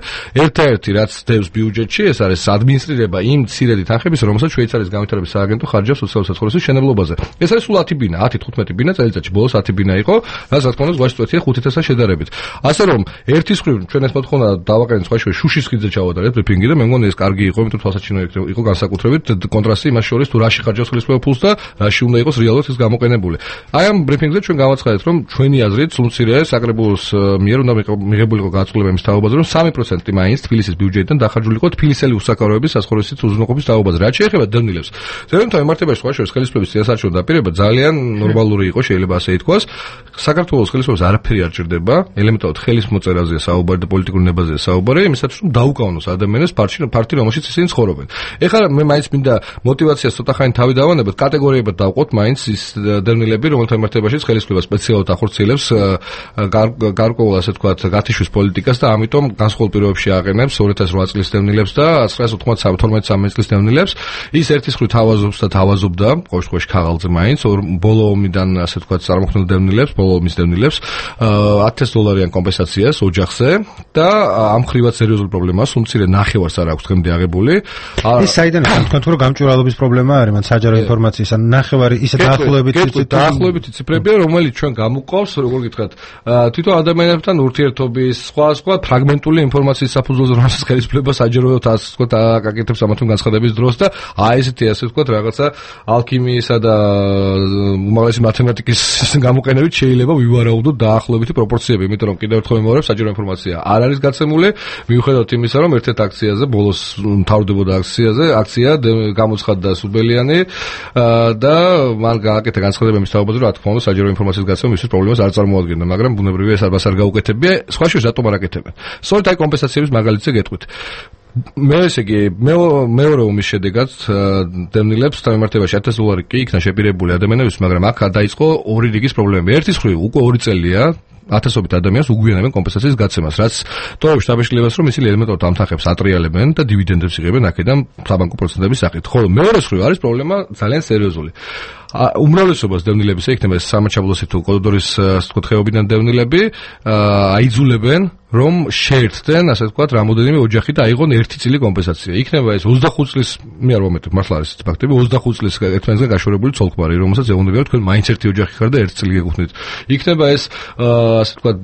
ერთ-ერთი რაც დევს ბიუჯეტში, ეს არის ადმინისტრირება იმ მცირედი თანხების, რომელსაც შვეიცარიის განვითარების სააგენტო ხარჯავს სოციალური საცხოვრებლის მშენებლობაზე. ეს არის სულ 10 ბინა, 10-15 ბინა წელიწადში, ბოლოს 10 ბინა იყო, რაც რა თქმა უნდა ზღვაში წვეთია 5000-სთან შედარებით. ასე რომ ერთის მხრივ ჩვენ ეს მოთხოვნა დავაყენეთ სხვა შუშის ხიდზე ჩავატარეთ ბრიფინგი და მე მგონი ეს კარგი იყო, იმიტომ თვალსაჩინო იყო განსაკუთრებით კონტრასტი იმას შორის თუ რაში ხარჯავს ხელისუფლება ფულს და რაში უნდა იყოს რეალურად ის გამოყენებული. აი ამ ბრიფინგზე ჩვენ გავაცხადეთ, რომ ჩვენი აზრით სულ მცირე საკრებულოს მიერ უნდა მიღებულიყო გაწყვეტილება იმის თაობაზე, რომ 3% მაინც თბილისის ბიუჯეტიდან დახარჯულიყო თბილისელი უსაქარავების საცხოვრებლის უზრუნველყოფის თაობაზე. რაც შეეხება დევნილებს, ზეიმთან მიმართებაში სხვა შორის ხელისუფლების წინასაარჩევნო დაპირება ძალიან ნორმალური იყო, შეიძლება ასე ითქვას. საქართველოს ხელისუფლებას არაფერი არ ჭირდება, ელემენტარულად ხელის მოწერაზეა საუბარი და პოლიტიკურ ნებაზეა საუბარი, იმისათვის რომ დაუკავონოს ადამიანებს პარტი, რომელშიც ისინი ცხოვრობენ. ეხლა მე მაინც მინდა мотивაციას ცოტახანი თავი დავანებოთ, კატეგორიებად დავყოთ მაინც ის დევნილები, რომელთა მიმართებაში ხელისუფლება სპეციალურად ახორციელებს გარკვეულ ასე ვთქვათ გათიშვის პოლიტიკას და ამიტომ განსხვავებულ პირობებში აყენებს 2008 წლის დევნილებს და 1992 წლის დევნილებს. ის ერთის მხრივ თავაზობს და თავაზობდა ყოველ შემთხვევაში ქაღალდზე მაინც ბოლო ომიდან ასე ვთქვათ წარმოქმნილ დევნილებს, ბოლო ომის დევნილებს $1000 კომპენსაციას ოჯახზე და ამ ხრივად სერიოზული პრობლემაა, სულ მცირე ნახევარს არ აქვს დღემდე აღებული. ეს საიდან არის? თქვენ თუ რომ გამჭვირვალობის პრობლემა არის, მან საჯარო ინფორმაციის ან ნახევარი ისე დაახლოებით ციფრებია, რომელიც ჩვენ გამოყავს, როგორ გითხრათ, თვითონ ადამიანებთან ურთიერთობის, სხვა ფრაგმენტული ინფორმაციის საფუძველზე, რომელსაც ხელისუფლება საჯაროდ ასე ვთქვათ აკეთებს ამათთან განცხადების დროს და აი ესეთი ასე ვთქვათ რაღაცა ალქიმიისა და უმაღლესი მათემატიკის გამოყენებით შეიძლება ვივარაუდოთ დაახლოებითი პროპორციები, იმიტომ რომ კიდევ ერთხელ მემორებ საჯარო ინფორმაცია არ არის გაცემული, მიუხედავად იმისა, რომ ერთ-ერთ აქციაზე ბოლოს მთავრდებოდა აქცია გამოცხადდა სუბელიანი და მან გააკეთა განცხადება იმის თაობაზე, რომ რა თქმა უნდა საჯარო ინფორმაციის გაცემა მისთვის პრობლემას არ წარმოადგენდა, მაგრამ ბუნებრივია ეს არ გაუკეთებია, სხვა შორის რატომ არ აკეთებენ? სწორედ აი კომპენსაციების მაგალითზე გეტყვით. მე ესე იგი მეორე ომის შედეგად დევნილებს თამამართებაში $1000 კი იქნა შეპირებული ადამიანებს, მაგრამ აქ დაიწყო ორი რიგის პრობლემები. ერთის მხრივ უკვე 2 წელია ათასობით ადამიანს უგვიანებენ კომპენსაციის გაცემას, რაც ტოვებს დაბეშილებას, რომ ისინი ელემენტარულად ამთახებს ატრიალებენ და დივიდენდებს იღებენ აქედან საბანკო პროცენტების სახით. ხოლო მეორე მხრივ არის პრობლემა ძალიან სერიოზული. უმრავლესობას დევნილებისა იქნება სამაჩაბლოსი თუ კოდორის ვთქვათ ხეობიდან დევნილები აიძულებენ რომ შეერთდნენ, ასე ვთქვათ, რამოდენიმე ოჯახი და აიღონ ერთი წილი კომპენსაცია. იქნება ეს 25 წლის, მე არ ვამეტებ, მართლა არის ეს ფაქტები, 25 წლის ერთმანეთზე გაშორებული ცოლ-ქმარი, რომელსაც ეუბნებიან თქვენ მაინც ერთი ოჯახი ხარ და ერთი წილი გეკუთვნით. იქნება ეს ასე ვთქვათ,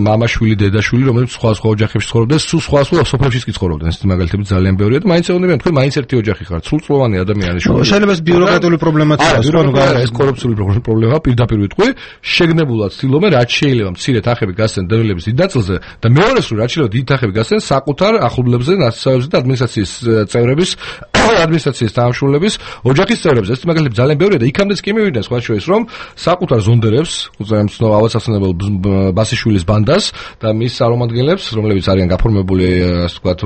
მამაშვილი, დედაშვილი, რომელიც სხვა ოჯახებში ცხოვრობდნენ, სულ სხვა სოფლებშიც კი ცხოვრობდნენ. ეს მაგალითები ძალიან ბევრია და მაინც ეუბნებიან თქვენ მაინც ერთი ოჯახი ხართ, სრულწლოვანი ადამიანი შუა. შეიძლება ეს ბიუროკრატიული პრობლემაა, ეს კორუფციული პრობლემაა, პირდაპირ ვიტყვი, შეგნებულად ცდილობენ რაც შეიძლება მცირედ ახები გასცენ დევნილების დიდ ნაწილზე და მეორეს რომ რაც შეიძლება დიდ ახები გასცენ საკუთარ ახლობლებზე, ნაცნობებზე და ადმინისტრაციის წევრების, ადმინისტრაციის დაამშულების ოჯახის წევრებს. ეს მაგალითები ძალიან ბევრია და იქამდეც კი მივიდნენ სხვა შორის რომ საკუთარ ზონდერებს, უზრაიმ ავადსახსენებელ ბასიშვილის ბანდას და მის წარმომადგენლებს, რომლებიც არიან გაფორმებული, ასე ვთქვათ,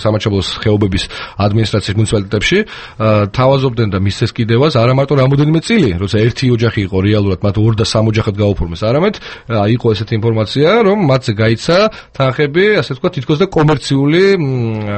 სამაჩაბლოს ხეობების ადმინისტრაციის მუნიციპალიტეტებში, თავაზობდნენ და მისცეს კიდევაც არა მარტო რამოდენიმე წილი, როცა ერთი ოჯახი იყო რეალურად მათ 2 და 3 ოჯახად გაუფორმეს, არამედ იყო ესეთი ინფორმაცია, რომ მათზე გაიცა თანხები, ასე ვთქვათ, თითქოს და კომერციული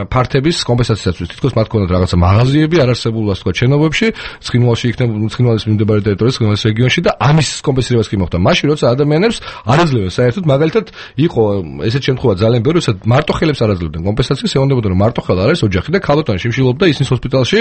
ფართების კომპენსაციისათვის. თითქოს მათ ქონდათ რაღაცა მაღაზიები არარსებულ, ასე ვთქვათ, შენობებში, ცხინვალში იქნება ცხინვალის მიმდებარე ტერიტორიის, ცხინვალის რეგიონში და ამის კომპენსირებას კი მოხდა. მაშინ როცა ადამიანებს არ აძლევენ საერთოდ, მაგალითად იყო ესეთ შემთხვევა ძალიან ბევრი, როცა მარტო ხელებს არ აძლევდნენ კომპენსაციას, ეუბნებოდნენ რომ მარტო ხელ არ არის ოჯახი და ქალბატონი შიმშილობდა ისინი ჰოსპიტალში.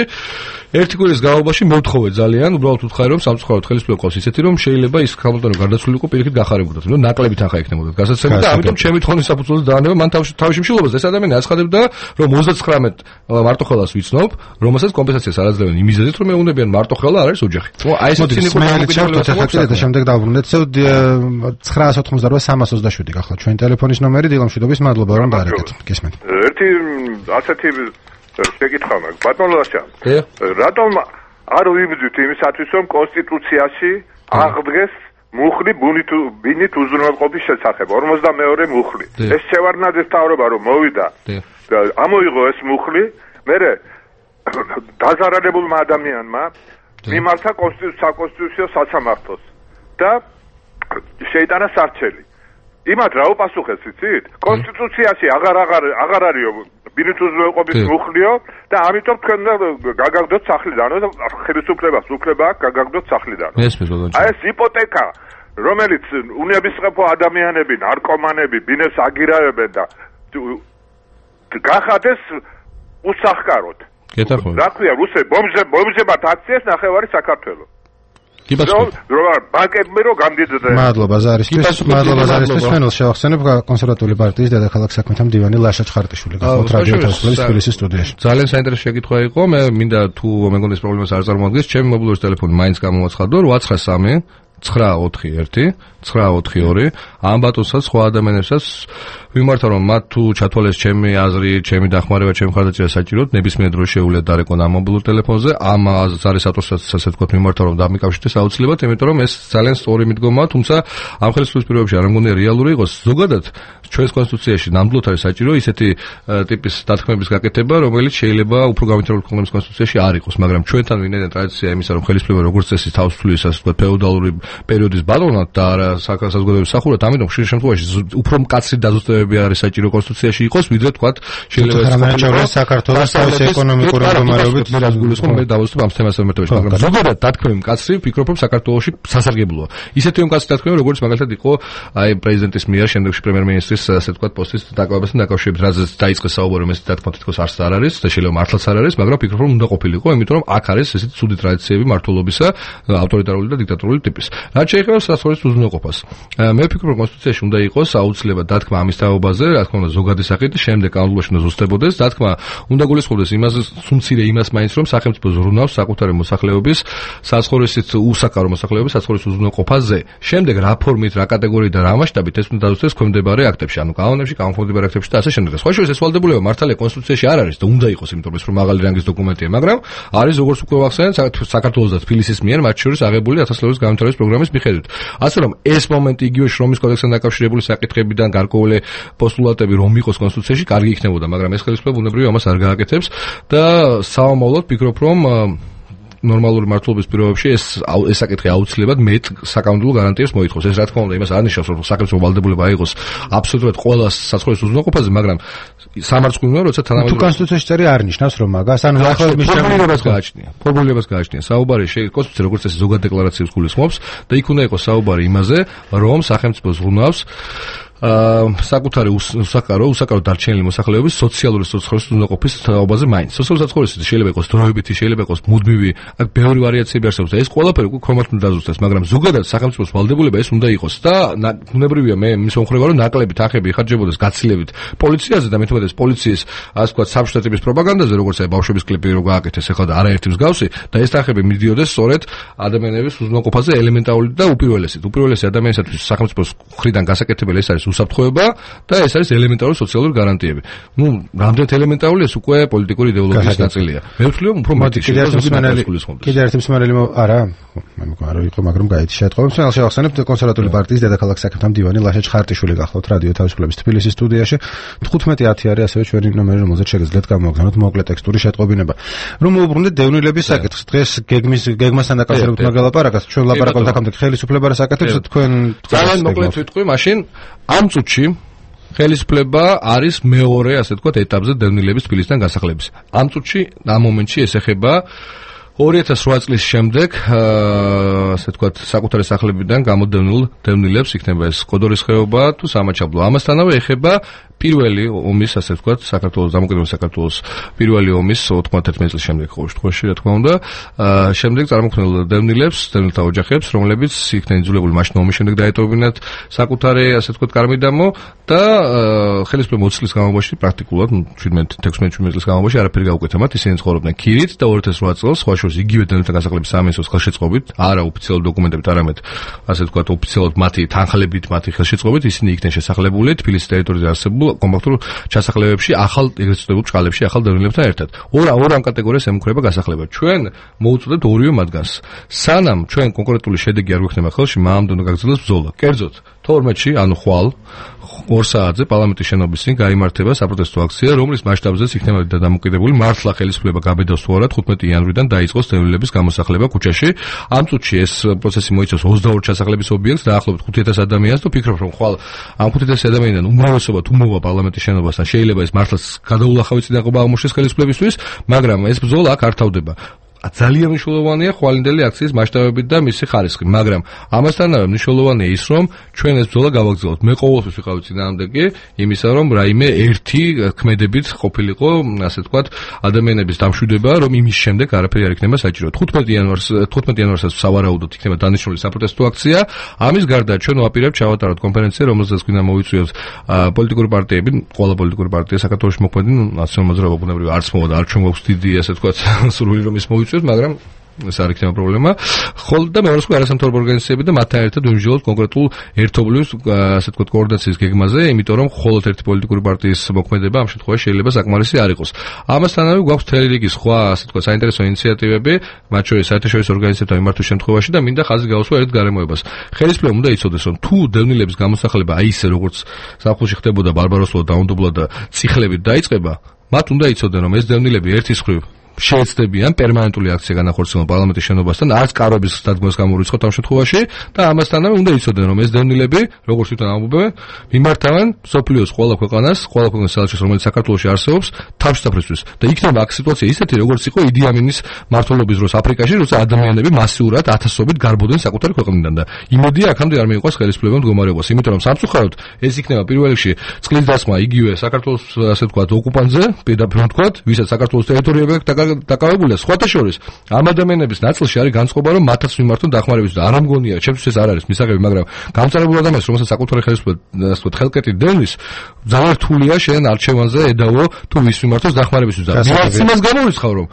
ერთი კვირის განმავლობაში მოვთხოვეთ ძალიან, უბრალოდ უთხარი რომ სამწუხაროდ ხელისუფლება ყავს ისეთი რომ შეიძლება ის ქალბატონი გარდაცვლილიყო პირიქით გახარებოდათ, რომ ნაკლები თანხა ექნებოდათ გასაცემად და ამიტომ ჩემი თხოვნის საფუძველზე დაანება მან თავის შიმშილობას. ეს ადამიანი აცხადებდა რომ 39 მარტო ხელას ვიცნობ, რომელსაც კომპენსაციას არ აძლევენ იმ მიზეზით, რომ ეუბნებიან მარტო ხელა არ არის ოჯახი. აი ეს ცინიკო და შემდეგ დავბრუნდეთ 988-327 ახლა ჩვენ ტელეფონის ნომერი დილამშვიდობის, მადლობა რომ დაარეკეთ. გისმენთ. ერთი ასეთი შეკითხვა მაქვს. ბატონ ლაშა. რატომ არ ვიბრძვით იმისათვის, რომ კონსტიტუციაში აღდგეს მუხლი ბინით უზრუნველყოფის შესახებ 52 მუხლი. ეს შევარდნაძის მთავრობა რომ მოვიდა და ამოიღო ეს მუხლი, მერე დაზარალებულმა ადამიანმა მიმართა საკონსტიტუციო სასამართლოს და შეიტანა სარჩელი. იმათ რა უპასუხეს, იცით? კონსტიტუციაში აღარ არისო ბინით უზრუნველყოფის მუხლიო და ამიტომ თქვენ გაგაგდოთ სახლიდან და ხელისუფლებას უფლება აქვს გაგაგდოთ სახლიდან. აი ეს იპოთეკა, რომელიც უნებისმოწყო ადამიანები, ნარკომანები ბინებს აგირავებენ და გახადეს უსახკაროდ. გეთახმებით. რა ქვია, რუსე ბომბებად აქციეს ნახევარი საქართველო. ბანკებმე რო გამდიდრდნენ. მადლობა ზარისთვის. მადლობა ზარისთვის. ჩვენ შევახსენებ კონსერვატული პარტიის დედაქალაქ საქმეთა მდივანი ლაშა ჩხარტიშვილი გახლავთ რადიო თავისუფლების თბილისის სტუდიაში. ძალიან საინტერესო შეკითხვა იყო. მე მინდა თუ მეგონა ეს პრობლემას არ წარმოადგენს, ჩემი მობილური ტელეფონი მაინც გამოვაცხადო 893 941 942 ამ ბატონსაც სხვა ადამიანებსაც ვიმართავ რომ მათ თუ ჩათვალეს ჩემი აზრი, ჩემი დახმარება, ჩემი ხარდაჭერა საჭიროდ ნებისმიერ დროს შეუძლიათ დარეკონ ამ მობილურ ტელეფონზე. ამ ზარისატორსაც ასე ვთქვათ ვიმართავ რომ დამიკავშირდეს აუცილებლად, იმიტომ რომ ეს ძალიან სწორი მიდგომაა, თუმცა ამ ხელისუფლების პირობებში არ მგონია რეალური იყოს. ზოგადად ჩვენს კონსტიტუციაში ნამდვილად არის საჭირო ისეთი ტიპის დათქმების გაკეთება, რომელიც შეიძლება უფრო გამართული ქვეყნების კონსტიტუციაში არ იყოს, მაგრამ ჩვენთან ვინაიდან ტრადიცია იმისა რომ ხელისუფლება როგორც წესი თავს თulis ასე ვთქვათ ფეოდალური პერიოდის ბატონად და არა საზოგადოების სახურად, ამიტომ ხშირ შემთხვევაში უფრო მკაცრი დაზუსტებები არის საჭირო კონსტიტუციაში იყოს, ვიდრე თქვათ შეიძლება საქართველოს თავის ეკონომიკური მდგომარეობით მე გულისხმობ მე დავუსწრებ ამ თემას ამერტებაში, მაგრამ ზოგადად დათქმები მკაცრი ვფიქრობ რომ საქართველოში სასარგებლოა. ისეთივე მკაცრი დათქმები როგორც მაგალითად იყო აი პრეზიდენტის მიერ შემდეგში პრემიერ-მინისტრის ასე ვთქვათ პოსტის დაკავებასთან დაკავშირებით, რაზეც დაიწყეს საუბარი, ეს დათქმა თითქოს არც არ არის და შეიძლება მართლაც არ არის, მაგრამ ვფიქრობ რომ უნდა ყოფილიყო, იმიტომ რომ აქ არის ესეთი ცუდი ტრადიციები მართლობისა, ავტორიტარული და დიქტატორული ტიპის. რაც შეეხება საზღვრის უზრუნველყოფას. მე ვფიქრობ რომ კონსტიტუციაში უნდა იყოს აუცილებლად დათქმა ამის თაობაზე, რა თქმა უნდა ზოგადი სახით, შემდეგ კანონმდებლობაში უნდა ზუსტებოდეს, დათქმა უნდა გულისხმობდეს იმას სუმცირე იმას მაინც რომ სახელმწიფო ზრუნავს საკუთარი მოსახლეობის საზღვრისით უსაკარო მოსახლეობის საზღვრის უზრუნველყოფაზე. შემდეგ რა ფორმით, რა კატეგორიით და რა მასშტაბით ეს უნდა დაზუსტდეს ქვემდებარე აქტებში, ანუ კანონებში, კანონმდებლობარ აქტებში და ასე შემდეგ. სხვა შორის ეს ვალდებულება მართალია კონსტიტუციაში არ არის და უნდა იყოს, იმიტომ რომ ეს მაღალი რანგის დოკუმენტია, მაგრამ არის როგორც უკვე ვახსენეთ საქართველოს და თბილისის მიერ მათ შორის აღებული 1000 ლერის განვითარების პროგრამის მიხედვით. ასე რომ ეს მომენტი იგივე შრომის კოდექსთან დაკავშირებული საკითხებიდან გარკვეული პოსტულატები რომ იყოს კონსტიტუციაში, კარგი იქნებოდა, მაგრამ ეს ხელისუფლება ბუნებრივია ამას არ გააკეთებს და საომავლოდ ვფიქრობ რომ ნორმალური მართლობის პირობებში ეს საკითხი აუცილებლად მეტ საკანონმდებლო გარანტიებს მოითხოვს. ეს რა თქმა უნდა იმას არ ნიშნავს რომ სახელმწიფო ვალდებულება აიღოს აბსოლუტურად ყველა საზღვრის უზრუნველყოფაზე, მაგრამ სამართლიანია, როცა თანამედროვე თუ კონსტიტუციაში წერი არ ნიშნავს რომ მაგას, ანუ ახლა ფორმულირებას გააჩნია. ფორმულირებას გააჩნია. საუბარი კონსტიტუცია როგორც ეს ზოგად დეკლარაციებს გულისხმობს და იქ უნდა იყოს საუბარი იმაზე, რომ სახელმწიფო ზრუნავს საკუთარი უსაკარო დარჩენილი მოსახლეობის სოციალური საცხოვრების უზრუნველყოფის თაობაზე მაინც. სოციალური საცხოვრისი შეიძლება იყოს დროებითი, შეიძლება იყოს მუდმივი, აქ ბევრი ვარიაციები არსებობს და ეს ყველაფერი უკვე ქვემოთ უნდა დაზუსტდეს, მაგრამ ზოგადად სახელმწიფოს ვალდებულება ეს უნდა იყოს და ბუნებრივია მე მის მომხრევა რომ ნაკლები თანხები იხარჯებოდეს გაცილებით პოლიციაზე და მეთქმედეს პოლიციის ასე ვთქვათ საბჭოთა ტიპის პროპაგანდაზე, როგორც აი ბავშვების კლიპი რო გააკეთეს ახლა და არაერთი მსგავსი და ეს თანხები მიდიოდეს სწორედ ადამიანების უზრუნველყოფაზე ელემენტარული და უპირველესი ადამიანისათვის სახელმწიფოს მხრიდან გასაკეთებელი ეს არის უსაფრთხოება და ეს არის ელემენტარული სოციალური გარანტიები. რამდენად ელემენტარული ეს უკვე პოლიტიკური იდეოლოგიის ნაწილია. მე ვთვლი რომ უფრო მათი კიდე ერთი მსმენელი არა, არ ვიყო, მაგრამ გაიჩი შეტყობა. მე შევახსენებ კონსერვატული პარტიის დედაქალაქ საქმეთა მდივანი ლაშა ჩხარტიშვილი გახლავთ რადიო თავისუფლების თბილისის სტუდიაში. 15:10 არის ასევე ჩვენი ნომერი, რომელზეც შეგიძლიათ გამოგზავნოთ მოკლე ტექსტური შეტყობინება. რომ მოუბრუნდეთ დევნილების საკითხს. დღეს გეგმასთან დაკავშირებით მაგალაპარაკას, ჩვენ ლაპარაკობთ აქამდე ხელისუფლებას აკეთებს თქვენ ძალიან მოკლედ ვიტყვი, მაშინ ამ წუთში ხელისუფლება არის მეორე, ასე ვთქვათ, ეტაპზე დევნილების თბილისიდან გასახლების. ამ წუთში, ამ მომენტში ეს ეხება 2008 წლის შემდეგ, ასე ვთქვათ, საკუთარი სახლებიდან გამოდევნილ დევნილებს, იქნება ეს კოდორის ხეობა თუ სამაჩაბლო. ამასთანავე ეხება პირველი ომის, ასე ვთქვათ, საქართველოს დამოუკიდებლობის საქართველოს პირველი ომის 91 წლის შემდეგ ყოველ შემთხვევაში, რა თქმა უნდა, შემდეგ წარმოქმნილ დევნილებს, დევნილთა ოჯახებს, რომლებიც იქნენ იძულებული მაშინ ომის შემდეგ დაეტოვებინათ საკუთარი, ასე ვთქვათ, კარმიდამო და ხელისუფლება 20 წლის განმავლობაში პრაქტიკულად 17-16 წლის განმავლობაში არაფერი გაუკეთა მათ, ისინი ცხოვრობდნენ ქირით და 2008 წელს სხვა შორის იგივე დევნილთა გასახლების სამინისტროს ხელშეწყობით, არა ოფიციალურ დოკუმენტებით, არამედ ასე ვთქვათ, ოფიციალურად მათი თანხლებით, მათი ხელშეწყობით ისინი იქნენ შესახლებული თბილისის ტერიტორიაზე არსებულ კომპაქტურ ჩასახლებებში, ახალ ეგრეთ წოდებულ ჭყალებში, ახალ დევნილებთან ერთად. ორ ამ კატეგორიას ემუქრება გასახლება. ჩვენ მოუწოდებთ ორივე მათგანს. სანამ ჩვენ კონკრეტული შედეგი არ გვექნება ხელში, მანამდე უნდა გაგრძელდეს ბრძოლა. კერძოდ 12-ში, ანუ ხვალ 2 საათზე პარლამენტის შენობის წინ გაიმართება საპროტესტო აქცია, რომლის მასშტაბზეც იქნება დამოკიდებული მართლა ხელისუფლება გაბედავს თუ არა 15 იანვრიდან დაიწყოს დევნილების გამოსახლება ქუჩაში. ამ წუთში ეს პროცესი მოიცავს 22 ჩასახლების ობიექტს, დაახლოებით 5000 ადამიანს და ვფიქრობ, რომ ხვალ ამ 5000 ადამიანიდან უმრავლესობა თუ მოვა პარლამენტის შენობასთან, შეიძლება ეს მართლაც გადაულახავი წინააღმობა აღმოჩნდეს ხელისუფლებისთვის, მაგრამ ეს ბრძოლა აქ არ თავდება. ძალიან მნიშვნელოვანია ხვალინდელი აქციის მასშტაბებით და მისი ხარისხი, მაგრამ ამასთანავე მნიშვნელოვანია ის, რომ ჩვენ ეს ბრძოლა გავაგრძელოთ. მე ყოველთვის ვიყავი წინააღმდეგი იმისა, რომ რაიმე ერთი ქმედებით ყოფილიყო, ასე ვთქვათ, ადამიანების დამშვიდება, რომ იმის შემდეგ არაფერი არ იქნება საჭირო. 15 იანვარსაც სავარაუდოდ იქნება დანიშნული საპროტესტო აქცია. ამის გარდა ჩვენ ვაპირებთ ჩავატაროთ კონფერენცია, რომელზეც გვინდა მოვიწვიოთ პოლიტიკური პარტიები, ყველა პოლიტიკური პარტია საქართველოში მოქმედი, ნაციონალურ მოძრაობა ბუნებრივია არც მოვა და არ ჩვენ გვაქვს დიდი, ასე ვთქვათ, სურვილი რომ ის მოვიწვიოთ, მაგრამ ეს არ იქნება პრობლემა. ხოლო და მეორე სხვა არასამთავრობო ორგანიზაციები და მათთან ერთად ვიმსჯელოთ კონკრეტულ ერთობლივ, ასე ვთქვათ, კოორდინაციის გეგმაზე, იმიტომ რომ მხოლოდ ერთი პოლიტიკური პარტიის მოქმედება ამ შემთხვევაში შეიძლება საკმარისი არ იყოს. ამასთანავე გვაქვს მთელი რიგი სხვა, ასე ვთქვათ, საინტერესო ინიციატივები, მათ შორის საერთაშორისო ორგანიზაციებთან მიმართვის შემთხვევაში და მინდა ხაზი გაუსვა ერთ გარემოებას. ხელისუფლებამ უნდა იცოდეს, რომ თუ დევნილების გამოსახლება აი ისე როგორც ზაფხულში ხდებოდა ბარბაროსულად დაუნდობლად და წიხლებით დაიწყება, მათ უნდა იცოდნენ, რომ ეს დევნილები ერთის მხრივ შეეცდებიან პერმანენტული აქცია განახორციელონ პარლამენტის შენობასთან, არც კარობის დადგმას გამორიცხოთ ამ შემთხვევაში და ამასთანავე უნდა იცოდნენ, რომ ეს დევნილები, როგორც თვითონ ამბობენ, მიმართავენ მსოფლიოს ყველა ქვეყანას საელჩოს, რომელიც საქართველოში არსებობს, თავშესაფრისთვის და იქნება აქ სიტუაცია ისეთი, როგორც იყო იდი ამინის მმართველობის დროს აფრიკაში, როცა ადამიანები მასიურად ათასობით გარბოდნენ საკუთარი ქვეყნიდან და იმედია აქამდე არ მიიღოს ხელისუფლებამ მდგომარეობას, იმიტომ რომ სამწუხაროდ ეს იქნება პირველ რიგში წყლის დასმა იგივე საქართველოს, ასე ვთქვათ, ოკუპანტზე, პირდაპირ ვთქვათ, ვისაც საქართველოს ტერიტორიები აქვს დაკავებულია. სხვათა შორის ამ ადამიანების ნაწილში არის განწყობა, რომ მათაც მიმართონ დახმარებისთვის და არ ამგონია, ჩემთვის ეს არ არის მისაღები, მაგრამ გამწარებულ ადამიანს, რომელსაც საკუთარი ხელისუფლება, ასე ვთქვათ, ხელკეტი დევნის, ძალიან რთულია შენ არჩევანზე ედავო თუ ვის მიმართოს დახმარებისთვის. რაც იმას გამორიცხავ, რომ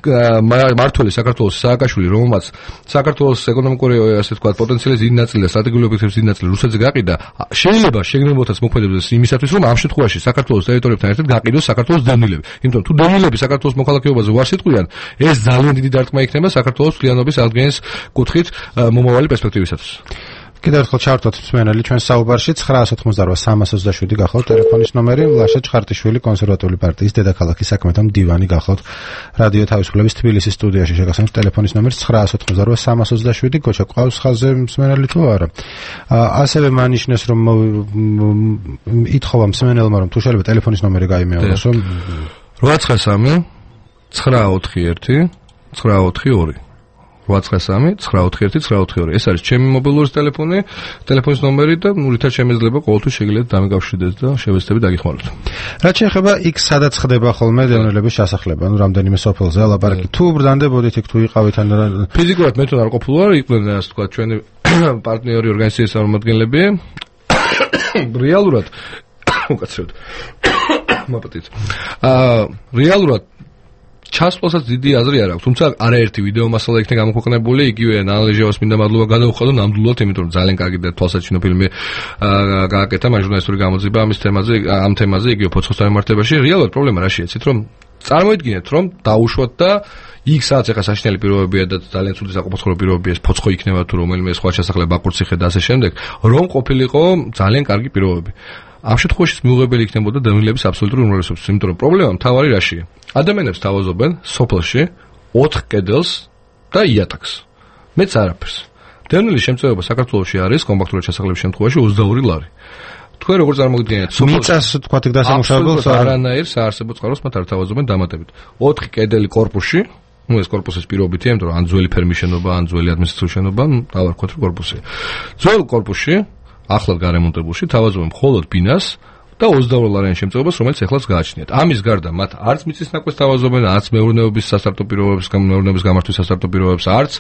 მართველი საქართველოს სააკაშვილი, რომელმაც საქართველოს ეკონომიკური, ასე ვთქვათ, პოტენციალის დიდი ნაწილი და სტრატეგიული ობიექტების დიდი ნაწილი რუსეთზე გაყიდა, შეიძლება შეგნებოდეს მოქმედებს იმისათვის, რომ ამ შემთხვევაში საქართველოს ტერიტორიებთან ერთად გაყიდოს საქართველოს დევნილები. იმიტომ თუ დევნილები საქართველოს მოქალაქეობაზე უარს იტყვიან, ეს ძალიან დიდი დარტყმა იქნება საქართველოს მთლიანობის აღდგენის კუთხით მომავალი პერსპექტივისათვის. კიდევ ერთხელ ჩავთვალოთ მსმენელი ჩვენ საუბარში 988-327 გახლავთ ტელეფონის ნომერი, ლაშა ჩხარტიშვილი კონსერვატიული პარტიის დედაქალაქის საქმეთა მდივანი გახლავთ რადიო თავისუფლების თბილისის სტუდიაში შეგახსენებთ ტელეფონის ნომერს 988-327 გოჩა ყავს ხაზზე მსმენელი თუ არა. ასევე მანიშნეს რომ ითხოვა მსმენელმა რომ თუ შეიძლება ტელეფონის ნომერი გაიმეოროს რომ 893 941 942 893-941-942. ეს არის ჩემი მობილური ტელეფონი, ტელეფონის ნომერი და რითაც შემეძლება ყოველთვის შეგიძლიათ დამეკავშირდეს და შევეცდებით დაგიხმაროთ. რაც შეეხება იქ სადაც ხდება ხოლმე დევნილების ჩასახლება, რამდენიმე სოფელზე ლაპარაკი. თუ ბრდანდებოდით იქ თუ იყავით ან ფიზიკურად მე თუ არ ყოფილი ვარ, იყვნენ ასე ვთქვათ ჩვენი პარტნიორი ორგანიზაციის წარმომადგენლები. რეალურად უკაცრად მაპატით. რეალურად ჩასვლასაც დიდი აზრი არ აქვს, თუმცა არაერთი ვიდეო მასალა იქნა გამოქვეყნებული, იგივე ანალიზებას მინდა მადლობა გადავუხადო ნამდვილად, იმიტომ რომ ძალიან კარგი და თვალსაჩინო ფილმი გააკეთა მან ჟურნალისტური გამოძიება ამის თემაზე, ამ თემაზე, იგივე ფოცხოსთან მიმართებაში. რეალურად პრობლემა რა შეეცით, რომ წარმოიდგინეთ, რომ დაუშვათ და იქ სადაც ახლა საშინელი პირობებია და ძალიან ცუდი საკუთრებული პირობებია, ეს ფოცხო იქნება თუ რომელიმე სხვა ჩასახლება ბაკურციხე და ასე შემდეგ, რომ ყოფილიყო ძალიან კარგი პირობები. ამ შემთხვევაში მიუღებელი იქნებოდა დევნილების აბსოლუტური უმრავლესობის, იმიტომ რომ პრობლემა მთავარი რაშია? ადამიანებს თავაზობენ სოფელში 4 კედელს და იატაკს. მეც არაფერს. დევნილის შემწეობა საქართველოში არის კომპაქტური ჩასახლების შემთხვევაში 22 ლარი. თქვენ როგორ წარმოგიდგენთ? მიწას თქვა იქ დასამუშავებელს არანაირ საარსებო წყაროს მათ არ თავაზობენ დამატებით. 4 კედელი კორპუსში, ეს კორპუსის პირობითია, იმიტომ რომ ან ძველი ფერმის შენობა, ან ძველი ადმინისტრაციული შენობა, დავარქვათ რომ კორპუსი. ძველ კორპუსში ახლად გარემონტებულში თავაზობენ მხოლოდ ბინას და 22 ლარიან შემწეობას, რომელიც ახლაც გააჩნიათ. ამის გარდა მათ არც მიწის ნაკვეთს თავაზობენ, არც მეურნეობის სასტარტო პირობებს, მეურნეობის გამართვის სასტარტო პირობებს, არც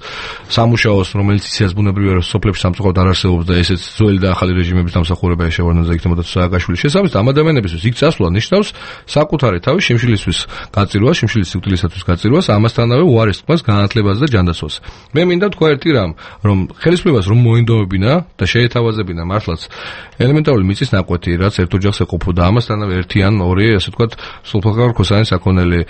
სამუშაოს, რომელიც ისეაც ბუნებრივია, რომ სოფლებში სამწუხაროდ არ არსებობს და ესეც ძველი და ახალი რეჟიმების დამსახურება შეგვარდნაზე იქნებოდა სააკაშვილის შესაბამისად, ამ ადამიანებისთვის იქ წასვლა ნიშნავს საკუთარი თავის შიმშილისთვის გაწირვას, შიმშილის სიკვდილისათვის გაწირვას, ამასთანავე უარეს თქმას, განათლებას და ჯანდაცვას. მე მინდა ვთქვა ერთი რამ, რომ ხელისუფლებას რომ მოინდომებინა და შეეთავაზებინა მართლაც ელემენტარული მიწის ნაკვეთი, რაც ერთ ოჯახს ეყოფოდა, ამასთანავე ერთი ან ორი, ასე ვთქვათ, სულფაქარ ქოსანის საქონელი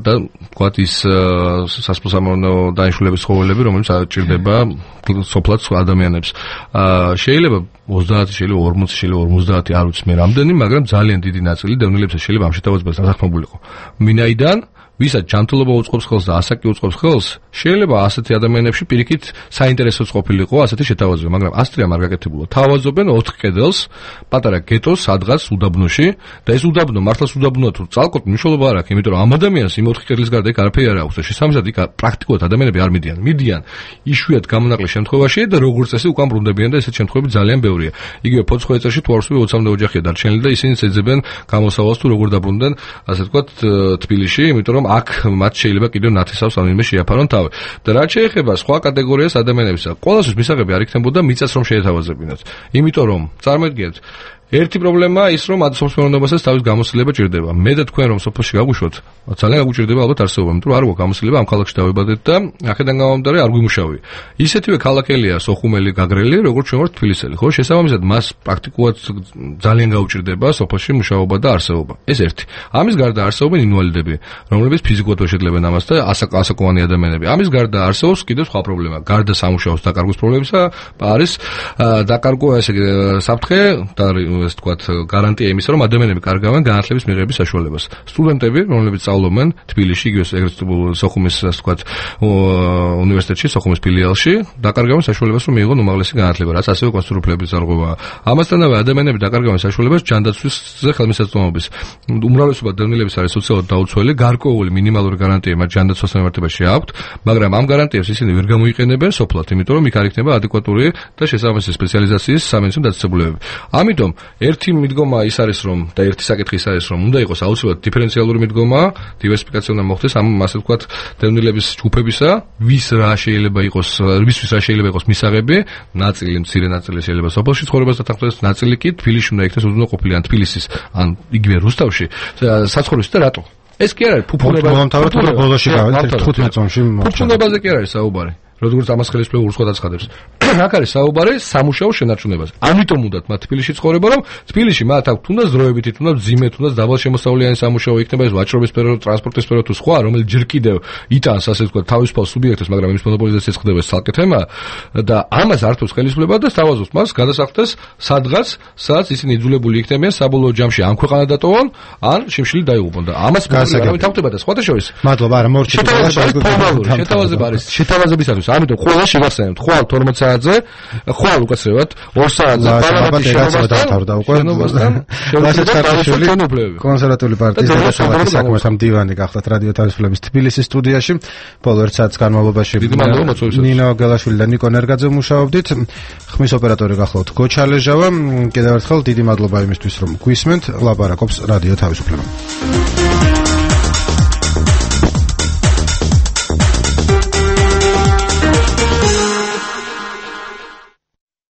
და ვთქვათ ის სასოფლო-სამეურნეო დანიშნულების ცხოველები, რომელიც ჭირდება სოფლად ადამიანებს. შეიძლება 30, შეიძლება 40, შეიძლება 50, არ ვიცი მე რამდენი, მაგრამ ძალიან დიდი ნაწილი დევნილებსაც შეიძლება ამ შეთავაზებას დასახმებულიყო. მინაიდან ვისაც ჯანმრთელობა უწყობს ხელს და ასაკი უწყობს ხელს, შეიძლება ასეთი ადამიანებში პირიქით საინტერესოც ყოფილიყო ასეთი შეთავაზება, მაგრამ ასტრიამ არ გაკეთებულა. თავაზობენ 4 კედელს, პატარა გეტოს სადღაც უდაბნოში და ეს უდაბნო მართლაც უდაბნოა თუ წალკოთ მნიშვნელობა არ აქვს, იმიტომ რომ ამ ადამიანს იმ 4 კედლის გარდა იქ არაფერი არ აქვს და შესაბამისად იქ პრაქტიკულად ადამიანები არ მიდიან. მიდიან იშვიათ გამონაკლისს შემთხვევაში და როგორც წესი უკან ბრუნდებიან და ესეთ შემთხვევები ძალიან ბევრია. იგივე ფოცხოვეცაში თუ არ ვსვი 20-მდე ოჯახია დარჩენილი და ისინი ეძებენ გამოსავალს თუ როგორ დაბრუნდნენ, ასე ვთქვათ, თბილისში, იმიტომ რომ აქ მათ შეიძლება კიდევ ნათესავს ამიმე შეაფარონ თავი. და რაც შეეხება სხვა კატეგორიას ადამიანებისა, ყველასთვის მისაღები არ იქნებოდა მიწას რომ შეეთავაზებინათ. იმიტომ რომ წარმოიდგინეთ ერთი პრობლემაა ის, რომ სოფლის მეურნეობასაც თავის გამოცდილება ჭირდება. მე და თქვენ რომ სოფელში გავუშვოთ, ძალიან გაგვჭირდება ალბათ არსებობა, იმიტომ რომ არ გვაქვს გამოცდილება ამ ქალაქში დავიბადეთ და აქედან გამომდინარე არ გვიმუშავია. ისეთივე ქალაქელია სოხუმელი, გაგრელი, როგორც ჩვენ ვართ თბილისელი, ხო? შესაბამისად მას პრაქტიკულად ძალიან გაუჭირდება სოფელში მუშაობა და არსებობა. ეს ერთი. ამის გარდა არსებობენ ინვალიდები, რომლებიც ფიზიკურად ვერ შეძლებენ ამას და ასაკოვანი ადამიანები. ამის გარდა არსებობს კიდევ სხვა პრობლემა. გარდა სამუშაოს დაკარგვის პრობლემისა არის დაკარგვა ესე საფრთხე და ეს თქვათ გარანტია იმისა, რომ ადამიანები კარგავენ განათლების მიღების საშუალებას. სტუდენტები, რომლებიც სწავლობენ თბილისში, იგივე სოხუმის ასე თქვათ უნივერსიტეტში, სოხუმის ფილიალში, დაკარგავენ საშუალებას, რომ მიიღონ უმაღლესი განათლება, რაც ასევე კონსტრუქციების ზარღვევაა. ამასთანავე ადამიანები დაკარგავენ საშუალებას ჯანდაცვისზე ხელმისაწვდომობის. უმრავლესობა დევნილების არის სოციალურად დაუცველი, გარკვეული მინიმალური გარანტია მათ ჯანდაცვას მიმართებაში აქვთ, მაგრამ ამ გარანტიებს ისინი ვერ გამოიყენებენ სოფლად, იმიტომ რომ იქ არ იქნება ადეკვატური და შესაბამისი სპეციალიზაციის სამედიცინო დაწესებულებები. ამიტომ ერთი მიდგომა ის არის რომ და ერთი საკითხი ის არის რომ უნდა იყოს აუცილებლად დიფერენციალური მიდგომა, დივერსიფიკაცია უნდა მოხდეს ამ ასე ვთქვათ დევნილების ჯგუფებისა, ვის რა შეიძლება იყოს მისაღები, ნაწილი, მცირე ნაწილი შეიძლება სოფელში ცხოვრებას დათანხმდეს, ნაწილი კი თბილისში უნდა იქნეს უზრუნო ყოფილი ან თბილისის ან იგივე რუსთავში საცხოვრისი და რატო? ეს კი არ არის ფუფუნებაზე. მომთავრეთ რომ ბოლოში გავედით 15 წონში. ფუფუნებაზე კი არ არის საუბარი. როგორც ამას ხელისუფლება ურსხად აცხადებს. აქ არის საუბარი სამუშაო შენარჩუნებაზე. ამიტომ უნდათ მათ თბილისში ცხოვრება, რომ თბილისში მათ აქვს თუნდაც დროებითი, თუნდაც ძიმე, თუნდაც დაბალშემოსავლიანი სამუშაო იქნება ეს ვაჭრობის სფერო, ტრანსპორტის სფერო თუ სხვა, რომელიც ჯერ კიდევ იტანს ასე ვთქვათ თავისუფალ სუბიექტებს, მაგრამ იმის მონოპოლიზაციაც ხდება ეს ცალკე თემა და ამას ართოს ხელისუფლება და სთავაზობს მას გადასახდეს სადღაც, სადაც ისინი იძულებული იქნებიან საბოლოო ჯამში ან ქვეყანა დატოვონ, ან შიმშილი დაიღუპონ და ამას პრობლემა თავდება და სხვათა შორის. მადლობა, არა მორჩით. შეთავაზება არის შეთავაზებისათვის. ამიტომ ყველა შევახსენებთ, ხვალ 12 საათზე, ხვალ უკაცრევად 2 საათზე პარლამენტის დათავრდა უკვე. კონსერვატიული პარტიის დედაქალაქის საქმეთა მდივანი გახდათ რადიო თავისუფლების თბილისის სტუდიაში. ბოლო 1 საათის განმავლობაში ნინო გელაშვილი და ნიკო ნერგაძე მუშაობდით. ხმის ოპერატორი გახლავთ გოჩალეჟავა. კიდევ ერთხელ დიდი მადლობა იმისთვის რომ გვისმენთ. ლაპარაკობს რადიო თავისუფლება.